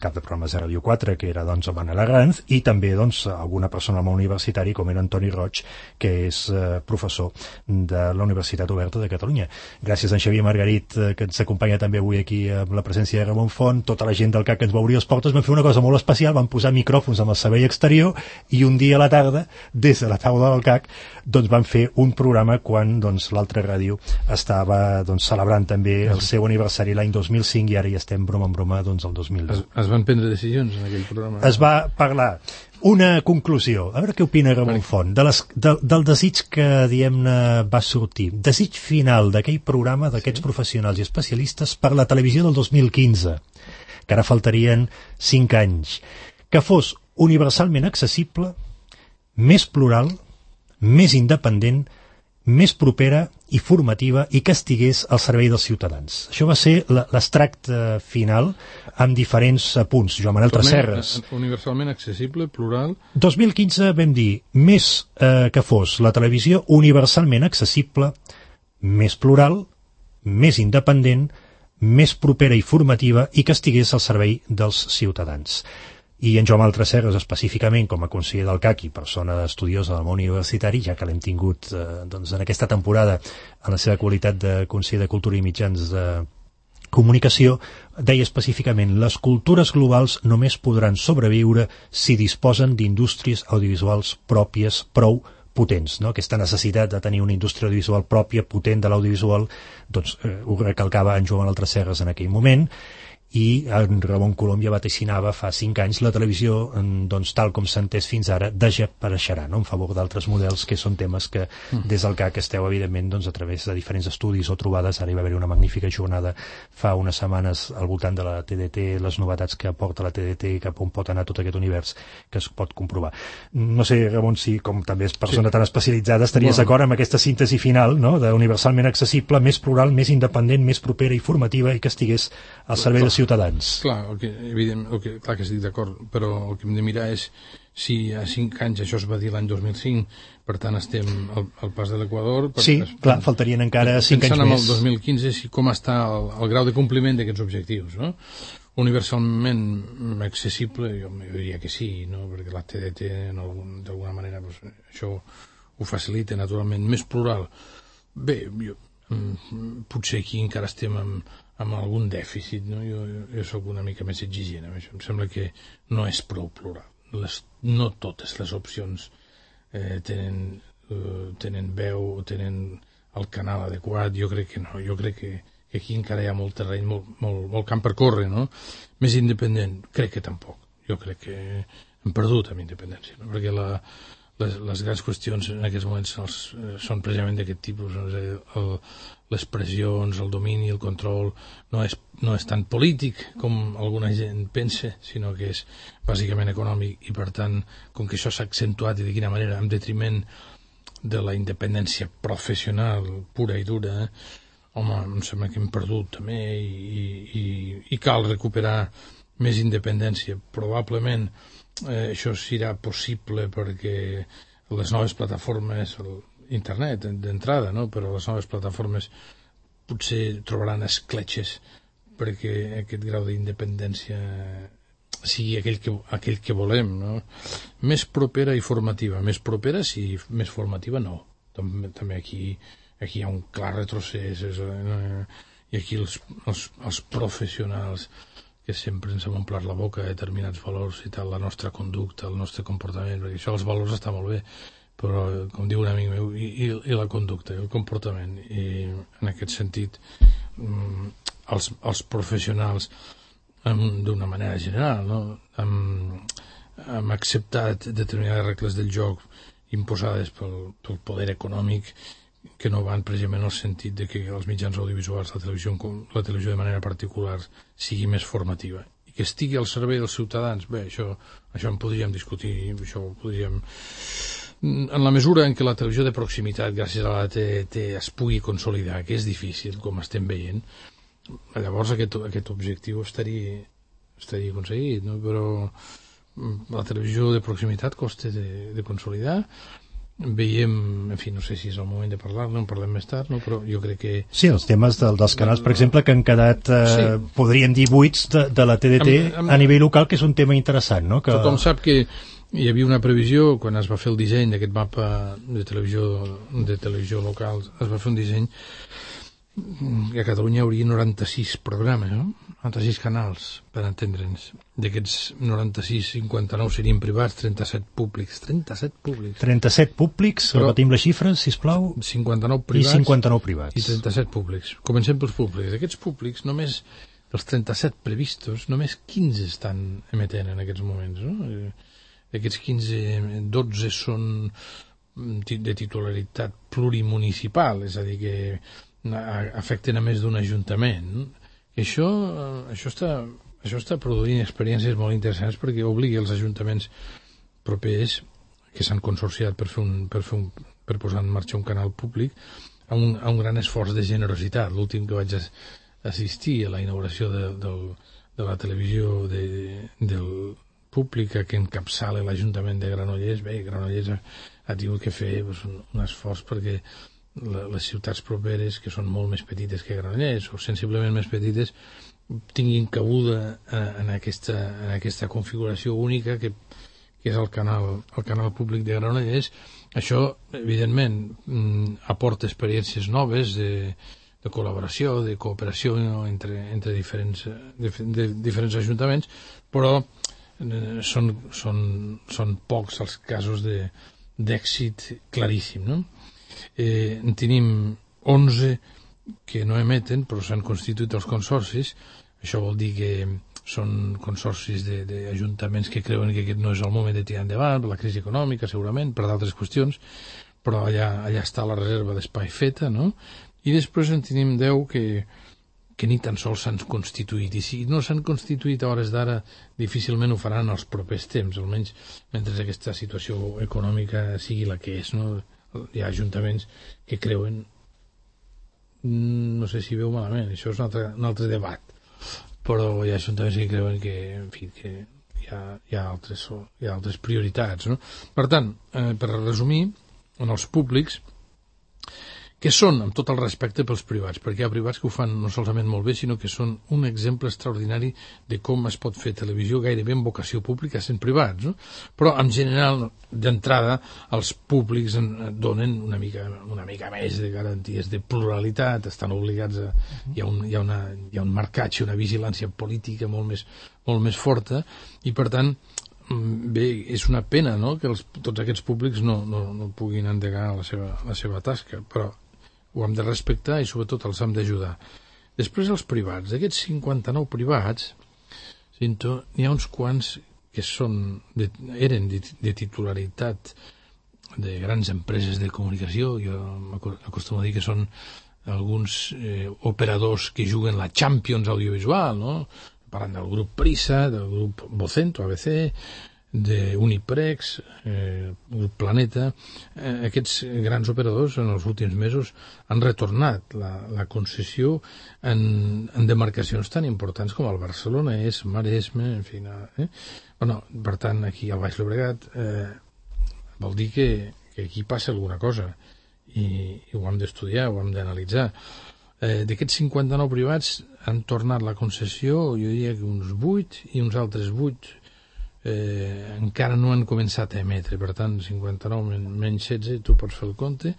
Speaker 1: cap de programes de Ràdio 4, que era doncs Manel Arranz, i també doncs alguna persona del món universitari com era Antoni Roig, que és professor de la Universitat Oberta de Catalunya. Gràcies a en Xavier Margarit, que ens acompanya també avui aquí amb la presència de Ramon Font, tota la gent del CAC que ens va obrir les portes, vam fer una cosa molt especial, vam posar micròfons amb el servei exterior i un dia a la tarda, des de la taula del CAC, doncs van fer un programa quan doncs, l'altra ràdio estava doncs, celebrant també el seu aniversari l'any 2005 i ara ja estem broma en broma doncs, el 2010.
Speaker 6: Es van prendre decisions en aquell programa?
Speaker 1: Es va parlar. Una conclusió, a veure què opina Ramon Font, del desig que, diguem-ne, va sortir. Desig final d'aquell programa d'aquests professionals i especialistes per la televisió del 2015, que ara faltarien 5 anys, que fos universalment accessible, més plural, més independent, més propera i formativa i que estigués al servei dels ciutadans. Això va ser l'extracte final amb diferents punts. Joan Manel Tresserras.
Speaker 6: Universalment accessible, plural...
Speaker 1: 2015 vam dir més que fos la televisió universalment accessible, més plural, més independent, més propera i formativa i que estigués al servei dels ciutadans. I en Joan Manel Tresserras, específicament com a conseller del CAC i persona estudiosa del món universitari, ja que l'hem tingut doncs, en aquesta temporada en la seva qualitat de conseller de Cultura i Mitjans de Comunicació, deia específicament: les cultures globals només podran sobreviure si disposen d'indústries audiovisuals pròpies prou potents, no? Aquesta necessitat de tenir una indústria audiovisual pròpia, potent de l'audiovisual, doncs ho recalcava en Joan Manel Tresserras en aquell moment, i en Ramon Colom ja vaticinava fa 5 anys la televisió, doncs, tal com s'ha entès fins ara, desapareixerà, no? En favor d'altres models, que són temes que des del CAC esteu, evidentment, doncs, a través de diferents estudis o trobades. Ara hi va haver una magnífica jornada fa unes setmanes al voltant de la TDT, les novetats que aporta la TDT i cap on pot anar tot aquest univers que es pot comprovar. No sé, Ramon, si com també és persona tan especialitzada estaries d'acord amb aquesta síntesi final, no?, d'universalment accessible, més plural, més independent, més propera i formativa i que estigués al servei dels ciutadans.
Speaker 6: Clar, clar que estic d'acord, però el que hem de mirar és si a 5 anys, això es va dir l'any 2005, per tant estem al pas de l'Equador.
Speaker 1: Sí, clar, faltarien encara 5 anys més.
Speaker 6: Pensant en el 2015, com està el grau de compliment d'aquests objectius, no? Universalment accessible, jo diria que sí, no? Perquè la TDT d'alguna manera pues, això ho facilita naturalment. Més plural, bé, potser aquí encara estem amb algun dèficit, no? Jo soc una mica més exigent amb això. Em sembla que no és prou plural. No totes les opcions tenen veu o tenen el canal adequat. Jo crec que no. Jo crec que aquí encara hi ha molt terreny, molt camp per córrer, no? Més independent, crec que tampoc. Jo crec que hem perdut amb independència, no? Perquè les grans qüestions en aquests moments són precisament d'aquest tipus, les pressions, el domini, el control, no és tan polític com alguna gent pensa, sinó que és bàsicament econòmic, i per tant, com que això s'ha accentuat i de quina manera, en detriment de la independència professional pura i dura, home, em sembla que hem perdut també i cal recuperar més independència. Probablement això serà possible perquè les noves plataformes, internet d'entrada, no? Però les noves plataformes potser trobaran escletxes perquè aquest grau d'independència sigui aquell que volem, no? Més propera i formativa. Més propera sí, més formativa no. També aquí hi ha un clar retrocés, i aquí els professionals que sempre ens hem omplert la boca de determinats valors i tal, la nostra conducta, el nostre comportament, perquè això, els valors està molt bé, però, com diu un amic meu, i la conducta, el comportament. I en aquest sentit, els professionals, d'una manera general, no? Hem acceptat determinades regles del joc imposades pel poder econòmic, que no van precisament en el sentit de que els mitjans audiovisuals, la televisió de manera particular, sigui més formativa i que estigui al servei dels ciutadans. Bé, això en podríem discutir, això ho podríem... En la mesura en què la televisió de proximitat, gràcies a la TDT, es pugui consolidar, que és difícil, com estem veient, llavors aquest objectiu estaria aconseguit, no? Però la televisió de proximitat costa de consolidar, veiem, en fi, no sé si és el moment de parlar-ne, en parlem més tard, no? Però jo crec que...
Speaker 1: Sí, els temes dels canals, per exemple, que han quedat, podríem dir, buits de la TDT a nivell local, que és un tema interessant, no?
Speaker 6: Tothom sap que hi havia una previsió, quan es va fer el disseny d'aquest mapa de televisió local, es va fer un disseny que a Catalunya hi hauria 96 programes, no? 96 canals, per entendre'ns. D'aquests 96, 59 serien privats, 37 públics.
Speaker 1: 37 públics, repetim les xifres, sisplau.
Speaker 6: 59 privats.
Speaker 1: I 59 privats.
Speaker 6: I 37 públics. Comencem pels públics. D'aquests públics, només dels 37 previstos, només 15 estan emetent en aquests moments, no? D'aquests 15, 12 són de titularitat plurimunicipal, és a dir, que afecten a més d'un ajuntament. Això està produint experiències molt interessants perquè obliga els ajuntaments propers que s'han consorciat per posar en marxa un canal públic a un gran esforç de generositat. L'últim que vaig assistir a la inauguració de la televisió del pública que encapçala l'Ajuntament de Granollers. Bé, Granollers ha tingut que fer un esforç perquè les ciutats properes, que són molt més petites que Granollers o sensiblement més petites, tinguin cabuda en aquesta configuració única que és el canal públic de Granollers. Això, evidentment, aporta experiències noves de col·laboració, de cooperació entre diferents ajuntaments, però són pocs els casos d'èxit claríssim, no? En tenim 11 que no emeten, però s'han constituït els consorcis. Això vol dir que són consorcis d'ajuntaments que creuen que aquest no és el moment de tirar endavant, per la crisi econòmica, segurament, per d'altres qüestions, però allà està la reserva d'espai feta, no? I després en tenim 10 que ni tan sols s'han constituït, i si no s'han constituït a hores d'ara, difícilment ho faran els propers temps, almenys mentre aquesta situació econòmica sigui la que és, no? Hi ha ajuntaments que creuen, no sé si veu malament, això és un altre debat, però hi ha ajuntaments que creuen que, en fi, que hi ha altres prioritats, no? Per tant, per resumir, en els públics, que són, amb tot el respecte pels privats, perquè hi ha privats que ho fan no solament molt bé, sinó que són un exemple extraordinari de com es pot fer televisió gairebé en vocació pública sent privats, no? Però, en general, d'entrada, els públics donen una mica més de garanties de pluralitat, estan obligats a... Hi ha un marcatge, una vigilància política molt més forta, i, per tant, bé, és una pena, no?, que tots aquests públics no puguin endegar la seva tasca, però ho hem de respectar i sobretot els hem d'ajudar. Després els privats, d'aquests 59 privats, n'hi ha uns quants que eren de titularitat de grans empreses de comunicació. Jo m'acostumo a dir que són alguns operadors que juguen la Champions audiovisual, no? Parlant del grup Prisa, del grup Vocento, ABC, d'Uniprex, grup Planeta. Aquests grans operadors en els últims mesos han retornat la concessió en demarcacions tan importants com el Barcelonès, Maresme, en fi. Bueno, per tant, aquí al Baix Llobregat vol dir que aquí passa alguna cosa i ho hem d'estudiar, ho hem d'analitzar. D'aquests 59 privats han tornat la concessió, jo diria que uns 8 i uns altres 8 encara no han començat a emetre. Per tant, 59 menys 16, tu pots fer el compte.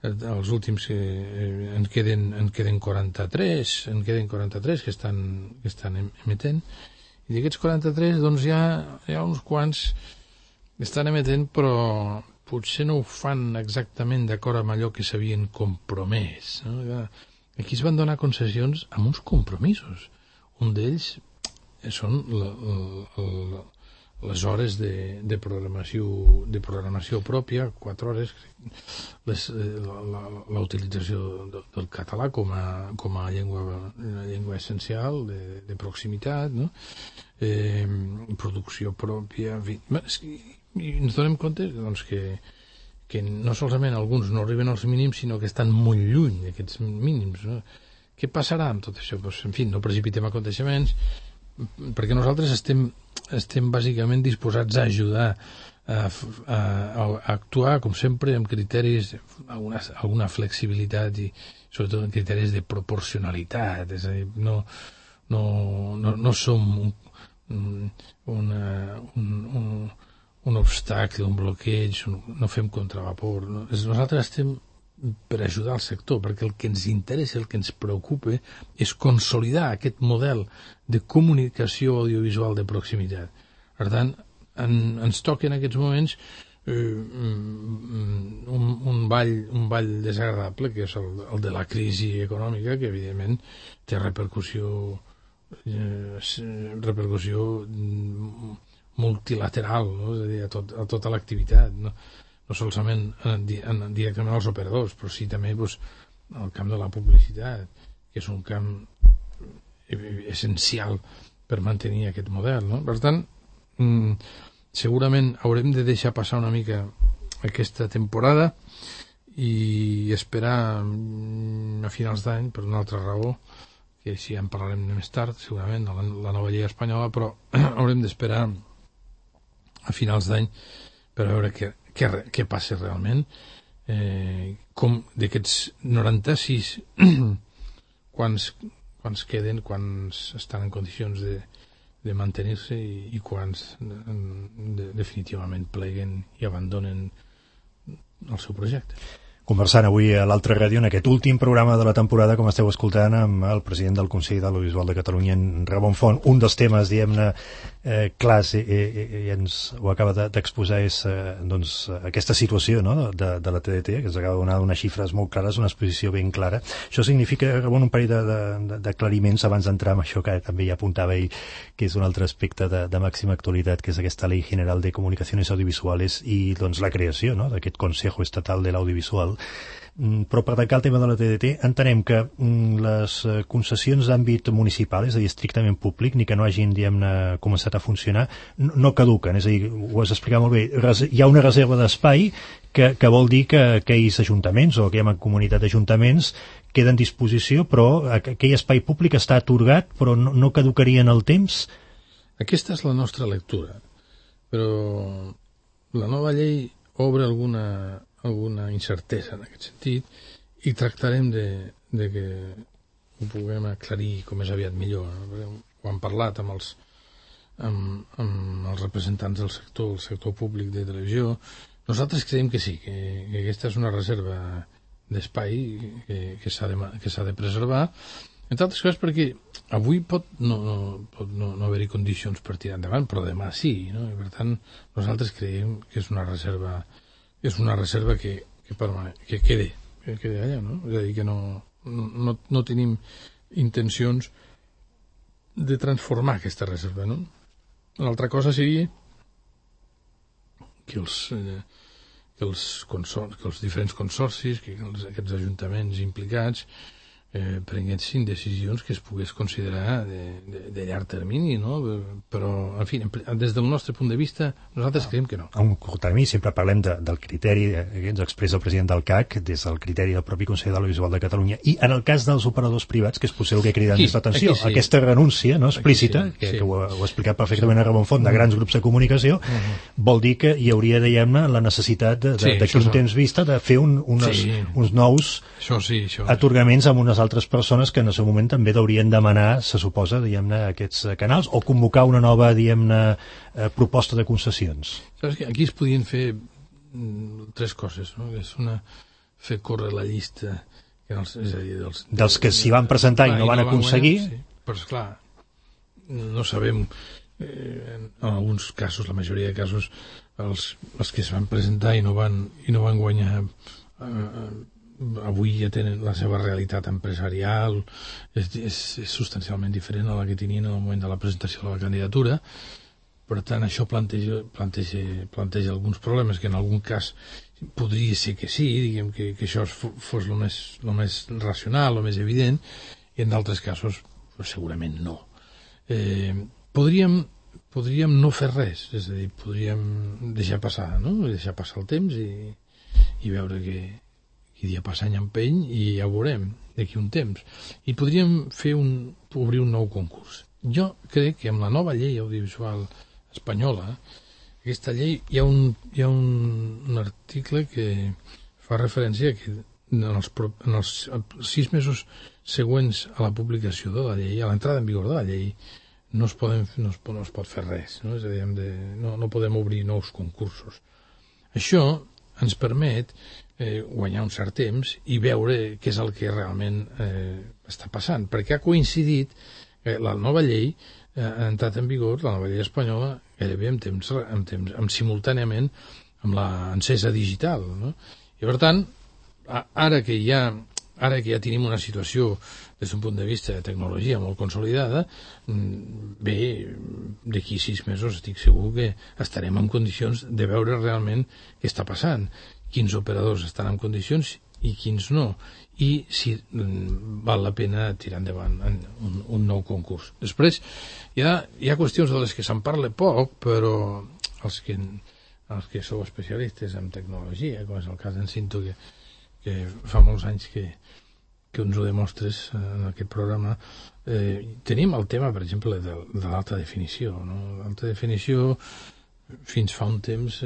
Speaker 6: Els últims en queden 43 que estan emetent, i d'aquests 43 doncs hi ha uns quants que estan emetent, però potser no ho fan exactament d'acord amb allò que s'havien compromès, no? Aquí es van donar concessions amb uns compromisos. Un d'ells són les hores de programació pròpia, 4 hores, la utilització del català com a llengua essencial de proximitat, no? Producció pròpia, en fi. I ens donem compte doncs, que no solament alguns no arriben als mínims, sinó que estan molt lluny d'aquests mínims, no? Què passarà amb tot això? Pues, en fi, no precipitem aconteixements, perquè nosaltres estem bàsicament disposats a ajudar actuar, com sempre, amb criteris, alguna flexibilitat i sobretot en criteris de proporcionalitat, és a dir, no som un obstacle, un bloqueig, no fem contravapor. Nosaltres estem per ajudar el sector, perquè el que ens interessa, el que ens preocupa, és consolidar aquest model de comunicació audiovisual de proximitat. Per tant, ens toca en aquests moments un ball desagradable, que és el de la crisi econòmica, que evidentment té repercussió multilateral, no? És a dir, a tota l'activitat, no solament directament als operadors, però sí també al camp de la publicitat, que és un camp essencial per mantenir aquest model, no? Per tant, segurament haurem de deixar passar una mica aquesta temporada i esperar a finals d'any, per una altra raó, que així en parlarem més tard, segurament, la nova llei espanyola, però haurem d'esperar a finals d'any per veure què passa realment, com d'aquests 96 quants queden, quants estan en condicions de mantenir-se i quants definitivament pleguen i abandonen el seu projecte.
Speaker 1: Conversant avui a l'Altra Ràdio en aquest últim programa de la temporada, com esteu escoltant, amb el president del Consell de l'Audiovisual de Catalunya, en Ramon Font. Un dels temes, diguem-ne, clars, i ens ho acaba d'exposar, és doncs, aquesta situació, no?, de la TDT, que ens acaba de donar unes xifres molt clares, una exposició ben clara. Això significa, Ramon, un parell d'aclariments abans d'entrar en això que també ja apuntava ell, que és un altre aspecte de màxima actualitat, que és aquesta Ley General de Comunicaciones Audiovisuales i doncs, la creació, no?, d'aquest Consejo Estatal de l'Audiovisual. Però per tancar el tema de la TDT, entenem que les concessions d'àmbit municipal, és a dir, estrictament públic, ni que no hagin, diguem-ne, començat a funcionar, no caduquen. És a dir, ho has explicat molt bé, hi ha una reserva d'espai que vol dir que aquells ajuntaments o aquella comunitat d'ajuntaments queda en disposició, però aquell espai públic està atorgat, però no caducaria en el temps?
Speaker 6: Aquesta és la nostra lectura, però la nova llei obre alguna incertesa en aquest sentit i tractarem de que ho puguem aclarir com més aviat millor, no? Ho hem parlat amb els representants del sector públic de televisió. Nosaltres creiem que sí, que aquesta és una reserva d'espai que s'ha de preservar, entre altres coses perquè avui pot no haver-hi condicions per tirar endavant, però demà sí, no? I per tant nosaltres creiem que és una reserva que quede allà, no? És a dir, que no tenim intencions de transformar aquesta reserva, no? L'altra cosa seria que els diferents consorcis, que aquests ajuntaments implicats prenguessin decisions que es pogués considerar de llarg termini, no? Però, en fi, des del nostre punt de vista, nosaltres creiem que no.
Speaker 1: A un curt termini sempre parlem del criteri que ens expressa el president del CAC, des del criteri del propi Consell de l'Audiovisual de Catalunya, i en el cas dels operadors privats, que és potser el que crida més l'atenció, sí. Aquesta renúncia, no, explícita, que ho ha explicat perfectament a Ramon Font, de grans grups de comunicació, vol dir que hi hauria, diguem-ne, la necessitat d'aquí un temps vista de fer uns nous atorgaments amb unes altres persones que en el seu moment també haurien demanar, se suposa, diguem-ne, aquests canals, o convocar una nova, diguem-ne, proposta de concessions.
Speaker 6: Saps que aquí es podien fer tres coses, no? És fer córrer la llista, és a dir,
Speaker 1: dels que s'hi van presentar i no van aconseguir.
Speaker 6: Sí. Però, esclar, no sabem, en alguns casos, la majoria de casos, els que es van presentar i no van guanyar avui ja tenen la seva realitat empresarial, és substancialment diferent a la que tenien en el moment de la presentació de la candidatura. Per tant, això planteja alguns problemes que en algun cas podria ser que sí, diguem que això fos el més racional, el més evident, i en d'altres casos segurament no. Podríem no fer res, és a dir, podríem deixar passar, no? Deixar passar el temps i veure que dia passa any empeny i ja ho veurem d'aquí un temps. I podríem obrir un nou concurs. Jo crec que amb la nova llei audiovisual espanyola, aquesta llei hi ha un article que fa referència que en els 6 mesos següents a la publicació de la llei, a l'entrada en vigor de la llei, no es pot fer res, no? És a dir, no podem obrir nous concursos. Això ens permet guanyar un cert temps i veure què és el que realment està passant, perquè ha coincidit la nova llei ha entrat en vigor, la nova llei espanyola, gairebé simultàniament amb l'encesa digital, no? I per tant, ara que ja tenim una situació des d'un punt de vista de tecnologia molt consolidada, bé, d'aquí 6 mesos estic segur que estarem en condicions de veure realment què està passant, quins operadors estan en condicions i quins no, i si val la pena tirar endavant un nou concurs. Després, hi ha qüestions de les que se'n parla poc, però els que sou especialistes en tecnologia, com és el cas d'en Cinto, que fa molts anys que ens ho demostres en aquest programa, tenim el tema, per exemple, de l'alta definició, no? L'alta definició, fins fa un temps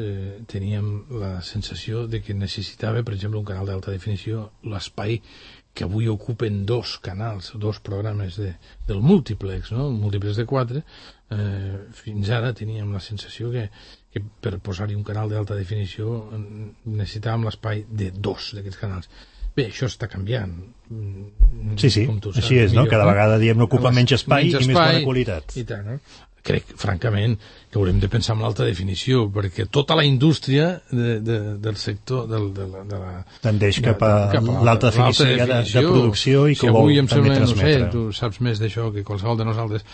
Speaker 6: teníem la sensació de que necessitava, per exemple, un canal d'alta definició, l'espai que avui ocupen 2 canals, 2 programes del múltiplex, no? Múltiplex de 4, fins ara teníem la sensació que per posar-hi un canal d'alta definició necessitàvem l'espai de 2 d'aquests canals. Bé, això està canviant.
Speaker 1: Sí, així és, no? Cada vegada n'ocupa menys espai i més bona qualitat.
Speaker 6: I tant, no? Crec, francament, que haurem de pensar en l'alta definició, perquè tota la indústria del sector
Speaker 1: tendeix cap a l'alta definició de producció i que ho vol també transmetre.
Speaker 6: No sé, tu saps més d'això que qualsevol de nosaltres.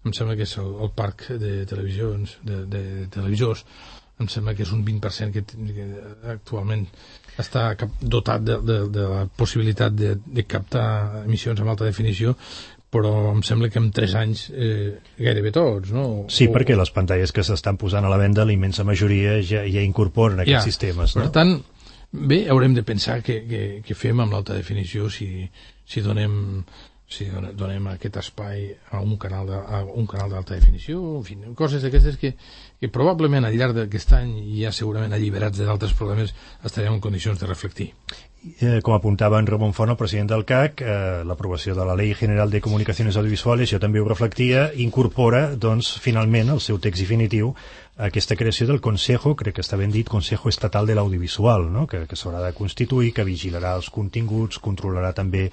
Speaker 6: Em sembla que és el parc de televisors, em sembla que és un 20% que actualment està dotat de la possibilitat de captar emissions amb alta definició, però em sembla que en 3 anys gairebé tots, no?
Speaker 1: Sí, perquè les pantalles que s'estan posant a la venda, la immensa majoria ja incorporen aquests sistemes, no?
Speaker 6: Per tant, bé, haurem de pensar què fem amb l'alta definició si donem aquest espai a un canal d'alta definició, en fi, coses d'aquestes que probablement al llarg d'aquest any, ja segurament alliberats d'altres problemes, estarem en condicions de reflectir.
Speaker 1: Com apuntava en Ramon Font, el president del CAC, l'aprovació de la Ley General de Comunicaciones Audiovisuales, jo també ho reflectia, incorpora, doncs, finalment, el seu text definitiu, aquesta creació del Consejo, crec que està ben dit, Consejo Estatal de l'Audiovisual, no? que s'haurà de constituir, que vigilarà els continguts, controlarà també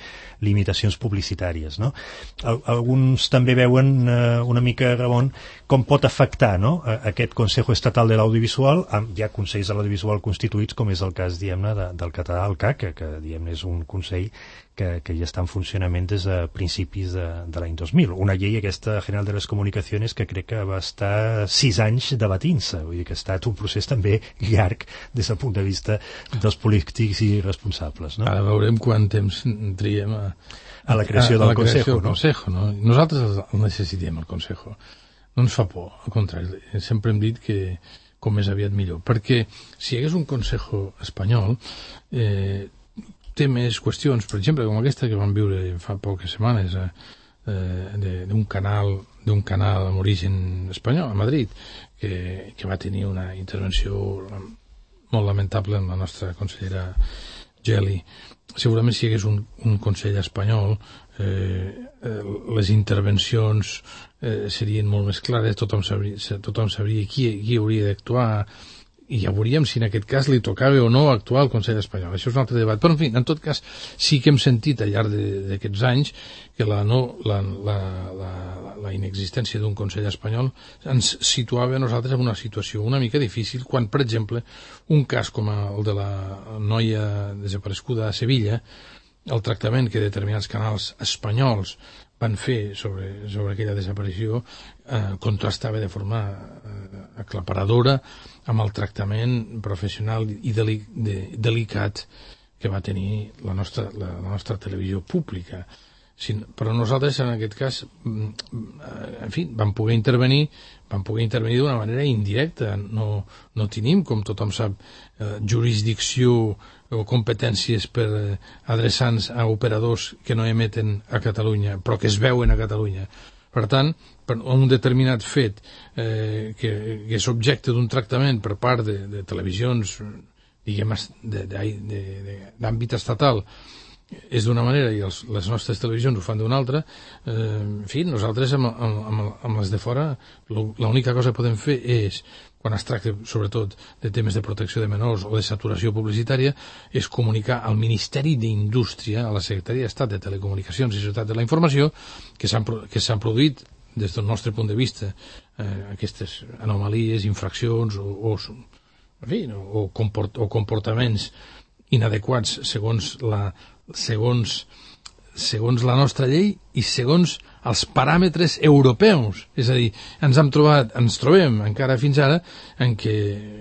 Speaker 1: limitacions publicitàries, no? Alguns també veuen una mica, Ramon, com pot afectar, no? Aquest Consejo Estatal de l'Audiovisual, hi ha consells de l'audiovisual constituïts, com és el cas, diguem-ne, del català, el CAC, que diguem-ne és un consell que ja està en funcionament des de principis de l'any 2000. Una llei, aquesta General de les Comunicaciones, que crec que va estar 6 anys debatint-se. Vull dir que ha estat un procés també llarg des del punt de vista dels polítics i responsables, no?
Speaker 6: Ara veurem quant temps triem
Speaker 1: a la creació del Consejo,
Speaker 6: no? Nosaltres el necessitem, el Consejo. No ens fa por, al contrari. Sempre hem dit que com més aviat millor. Perquè si hi hagués un Consejo espanyol, té més qüestions, per exemple, com aquesta que vam viure fa poques setmanes d'un canal amb origen espanyol a Madrid, que va tenir una intervenció molt lamentable amb la nostra consellera Geli. Segurament si hi hagués un Consell espanyol, les intervencions serien molt més clares, tothom sabria qui hauria d'actuar, i ja veuríem si en aquest cas li tocava o no actuar al Consell espanyol. Això és un altre debat. Però, en fi, en tot cas, sí que hem sentit al llarg d'aquests anys que la inexistència d'un Consell espanyol ens situava a nosaltres en una situació una mica difícil quan, per exemple, un cas com el de la noia desapareguda a Sevilla, el tractament que determinats canals espanyols van fer sobre aquella desaparició contrastava de forma aclaparadora amb el tractament professional i delicat que va tenir la nostra televisió pública. Però nosaltres, en aquest cas, en fi, vam poder intervenir d'una manera indirecta. No tenim, com tothom sap, jurisdicció o competències per adreçar-nos a operadors que no emeten a Catalunya, però que es veuen a Catalunya. Per tant, per un determinat fet que és objecte d'un tractament per part de televisions, diguem, d'àmbit estatal, és d'una manera i les nostres televisions ho fan d'una altra, en fi, nosaltres amb les de fora l'única cosa que podem fer és, quan es tracta sobretot de temes de protecció de menors o de saturació publicitària, és comunicar al Ministeri d'Indústria, a la Secretaria d'Estat de Telecomunicacions i Societat de la Informació, que s'han produït des del nostre punt de vista aquestes anomalies, infraccions o comportaments inadequats segons la nostra llei i segons els paràmetres europeus. És a dir, ens trobem encara fins ara en què,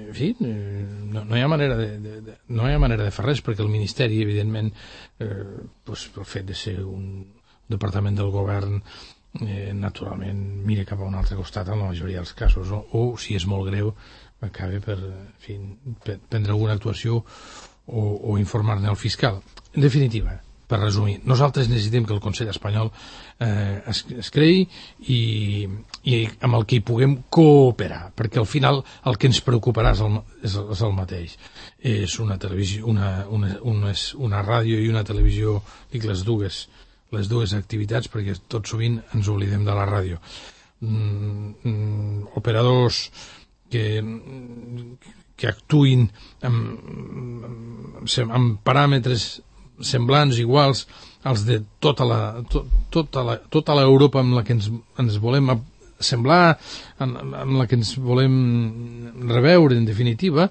Speaker 6: en fi, no hi ha manera de fer res, perquè el Ministeri, evidentment, pel fet de ser un departament del govern, naturalment mira cap a un altre costat en la majoria dels casos, o si és molt greu, acaba per prendre alguna actuació o informar-ne al fiscal. En definitiva, per resumir, nosaltres necessitem que el Consell espanyol es creï i amb el que hi puguem cooperar, perquè al final el que ens preocuparà és el mateix. És una televisió, una ràdio i una televisió, dic les dues activitats, perquè tot sovint ens oblidem de la ràdio. Operadors que actuïn amb paràmetres semblants, iguals als de tota l'Europa amb la que ens volem semblar, amb la que ens volem reveure, en definitiva,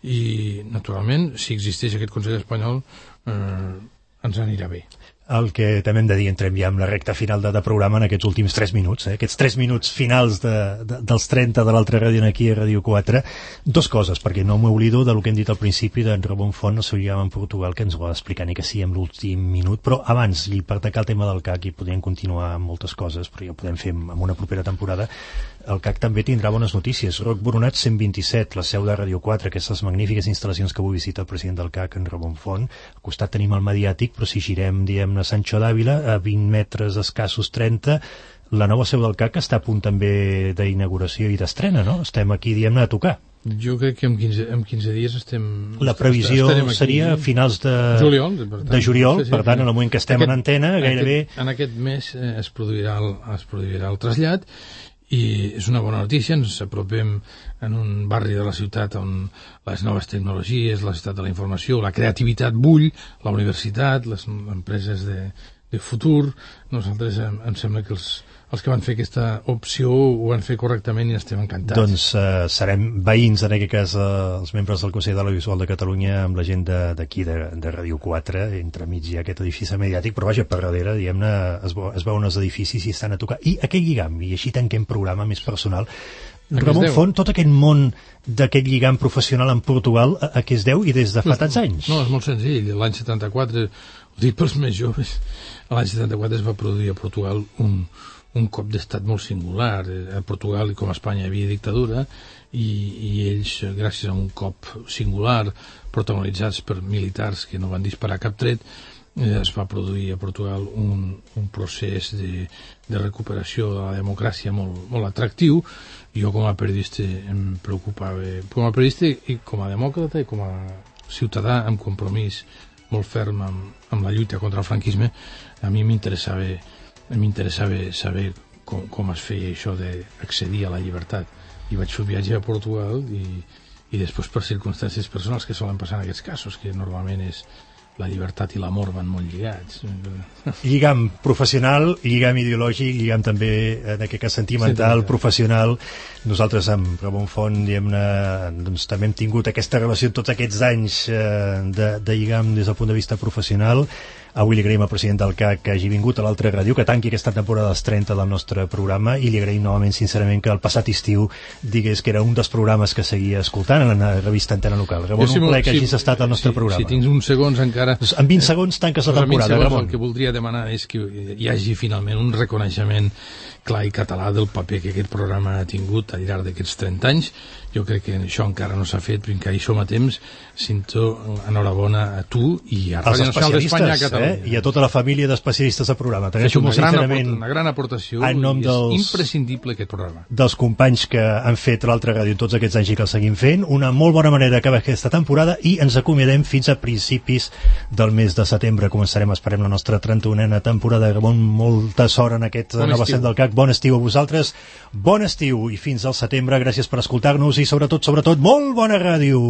Speaker 6: i, naturalment, si existeix aquest Consell espanyol, ens anirà bé.
Speaker 1: El que també hem de dir, entrem ja amb la recta final de programa en aquests últims 3 minuts, aquests 3 minuts finals dels 30 de l'altra ràdio aquí a Ràdio 4. Dos coses, perquè no m'oblido del que hem dit al principi d'en Ramon Font, el seu lligam en Portugal, que ens ho va explicar ni que sí en l'últim minut, però abans, i per atacar el tema del CAC, i podríem continuar amb moltes coses, però ja ho podem fer en una propera temporada, el CAC també tindrà bones notícies. Roc Boronat 127, la seu de Ràdio 4, aquestes magnífiques instal·lacions que avui visita el president del CAC, en Ramon Font. Al costat tenim el Mediàtic, però si girem, diem, a Sancho d'Àvila, a 20 metres escassos 30, la nova seu del CAC està a punt també d'inauguració i d'estrena, no? Estem aquí, diem-ne, a tocar.
Speaker 6: Jo crec que en 15 dies estem...
Speaker 1: La previsió seria a finals de juliol, per tant, en el moment que estem en antena, gairebé...
Speaker 6: En aquest mes es produirà el trasllat, i és una bona notícia. Ens apropem en un barri de la ciutat on les noves tecnologies, la ciutat de la informació, la creativitat bull, la universitat, les empreses de futur. Nosaltres em sembla que els que van fer aquesta opció ho van fer correctament i estem encantats.
Speaker 1: Doncs serem veïns, en aquest cas els membres del Consell de l'Audiovisual de Catalunya, amb la gent d'aquí, de Ràdio 4, entremig hi ha aquest edifici mediàtic, però vaja, per darrere, diguem-ne, es veuen els edificis i estan a tocar. I aquell lligam, i així tanquem programa més personal, Ramon Font, tot aquest món d'aquest lligam professional en Portugal, a què es deu i des de fa tants anys?
Speaker 6: No, és molt senzill. L'any 74, ho dic pels més joves, l'any 74 es va produir a Portugal un cop d'estat molt singular. A Portugal, com a Espanya, hi havia dictadura i ells, gràcies a un cop singular protagonitzats per militars que no van disparar cap tret, es va produir a Portugal un procés de recuperació de la democràcia molt atractiu. Jo com a periodista em preocupava, com a periodista i com a demòcrata i com a ciutadà amb compromís molt ferm amb la lluita contra el franquisme. A mi m'interessava saber com es feia això d'accedir a la llibertat, i vaig fer un viatge a Portugal i després, per circumstàncies personals que solen passar en aquests casos, que normalment és la llibertat i l'amor van molt lligats.
Speaker 1: Lligam professional, lligam ideològic, lligam també en aquest cas sentimental, professional. Nosaltres amb Ramon Font, diguem-ne, doncs també hem tingut aquesta relació tots aquests anys de lligam des del punt de vista professional. Avui li agraïm al president del CAC que hagi vingut a l'altra ràdio, que tanqui aquesta temporada dels 30 del nostre programa, i li agraïm novament, sincerament, que el passat estiu digués que era un dels programes que seguia escoltant en la revista Antena Local. Ramon, un plaer que hagis estat al nostre programa.
Speaker 6: Si tinc uns segons encara...
Speaker 1: En 20 segons tanques la temporada, Ramon.
Speaker 6: El que voldria demanar és que hi hagi finalment un reconeixement clar i català del paper que aquest programa ha tingut al llarg d'aquests 30 anys, jo crec que això encara no s'ha fet, però encara hi som a temps. Cinto, enhorabona a tu i a Ràdio Nacional d'Espanya, a Catalunya.
Speaker 1: I a tota la família d'especialistes del programa.
Speaker 6: És una gran aportació i és imprescindible aquest programa.
Speaker 1: Dels companys que han fet l'altra ràdio tots aquests anys i que el seguim fent, una molt bona manera d'acabar aquesta temporada i ens acomiadem fins a principis del mes de setembre. Començarem, esperem, la nostra 31a temporada. Molta sort en aquest nova set del CAC. Bon estiu a vosaltres, bon estiu i fins al setembre. Gràcies per escoltar-nos i sobretot, molt bona ràdio.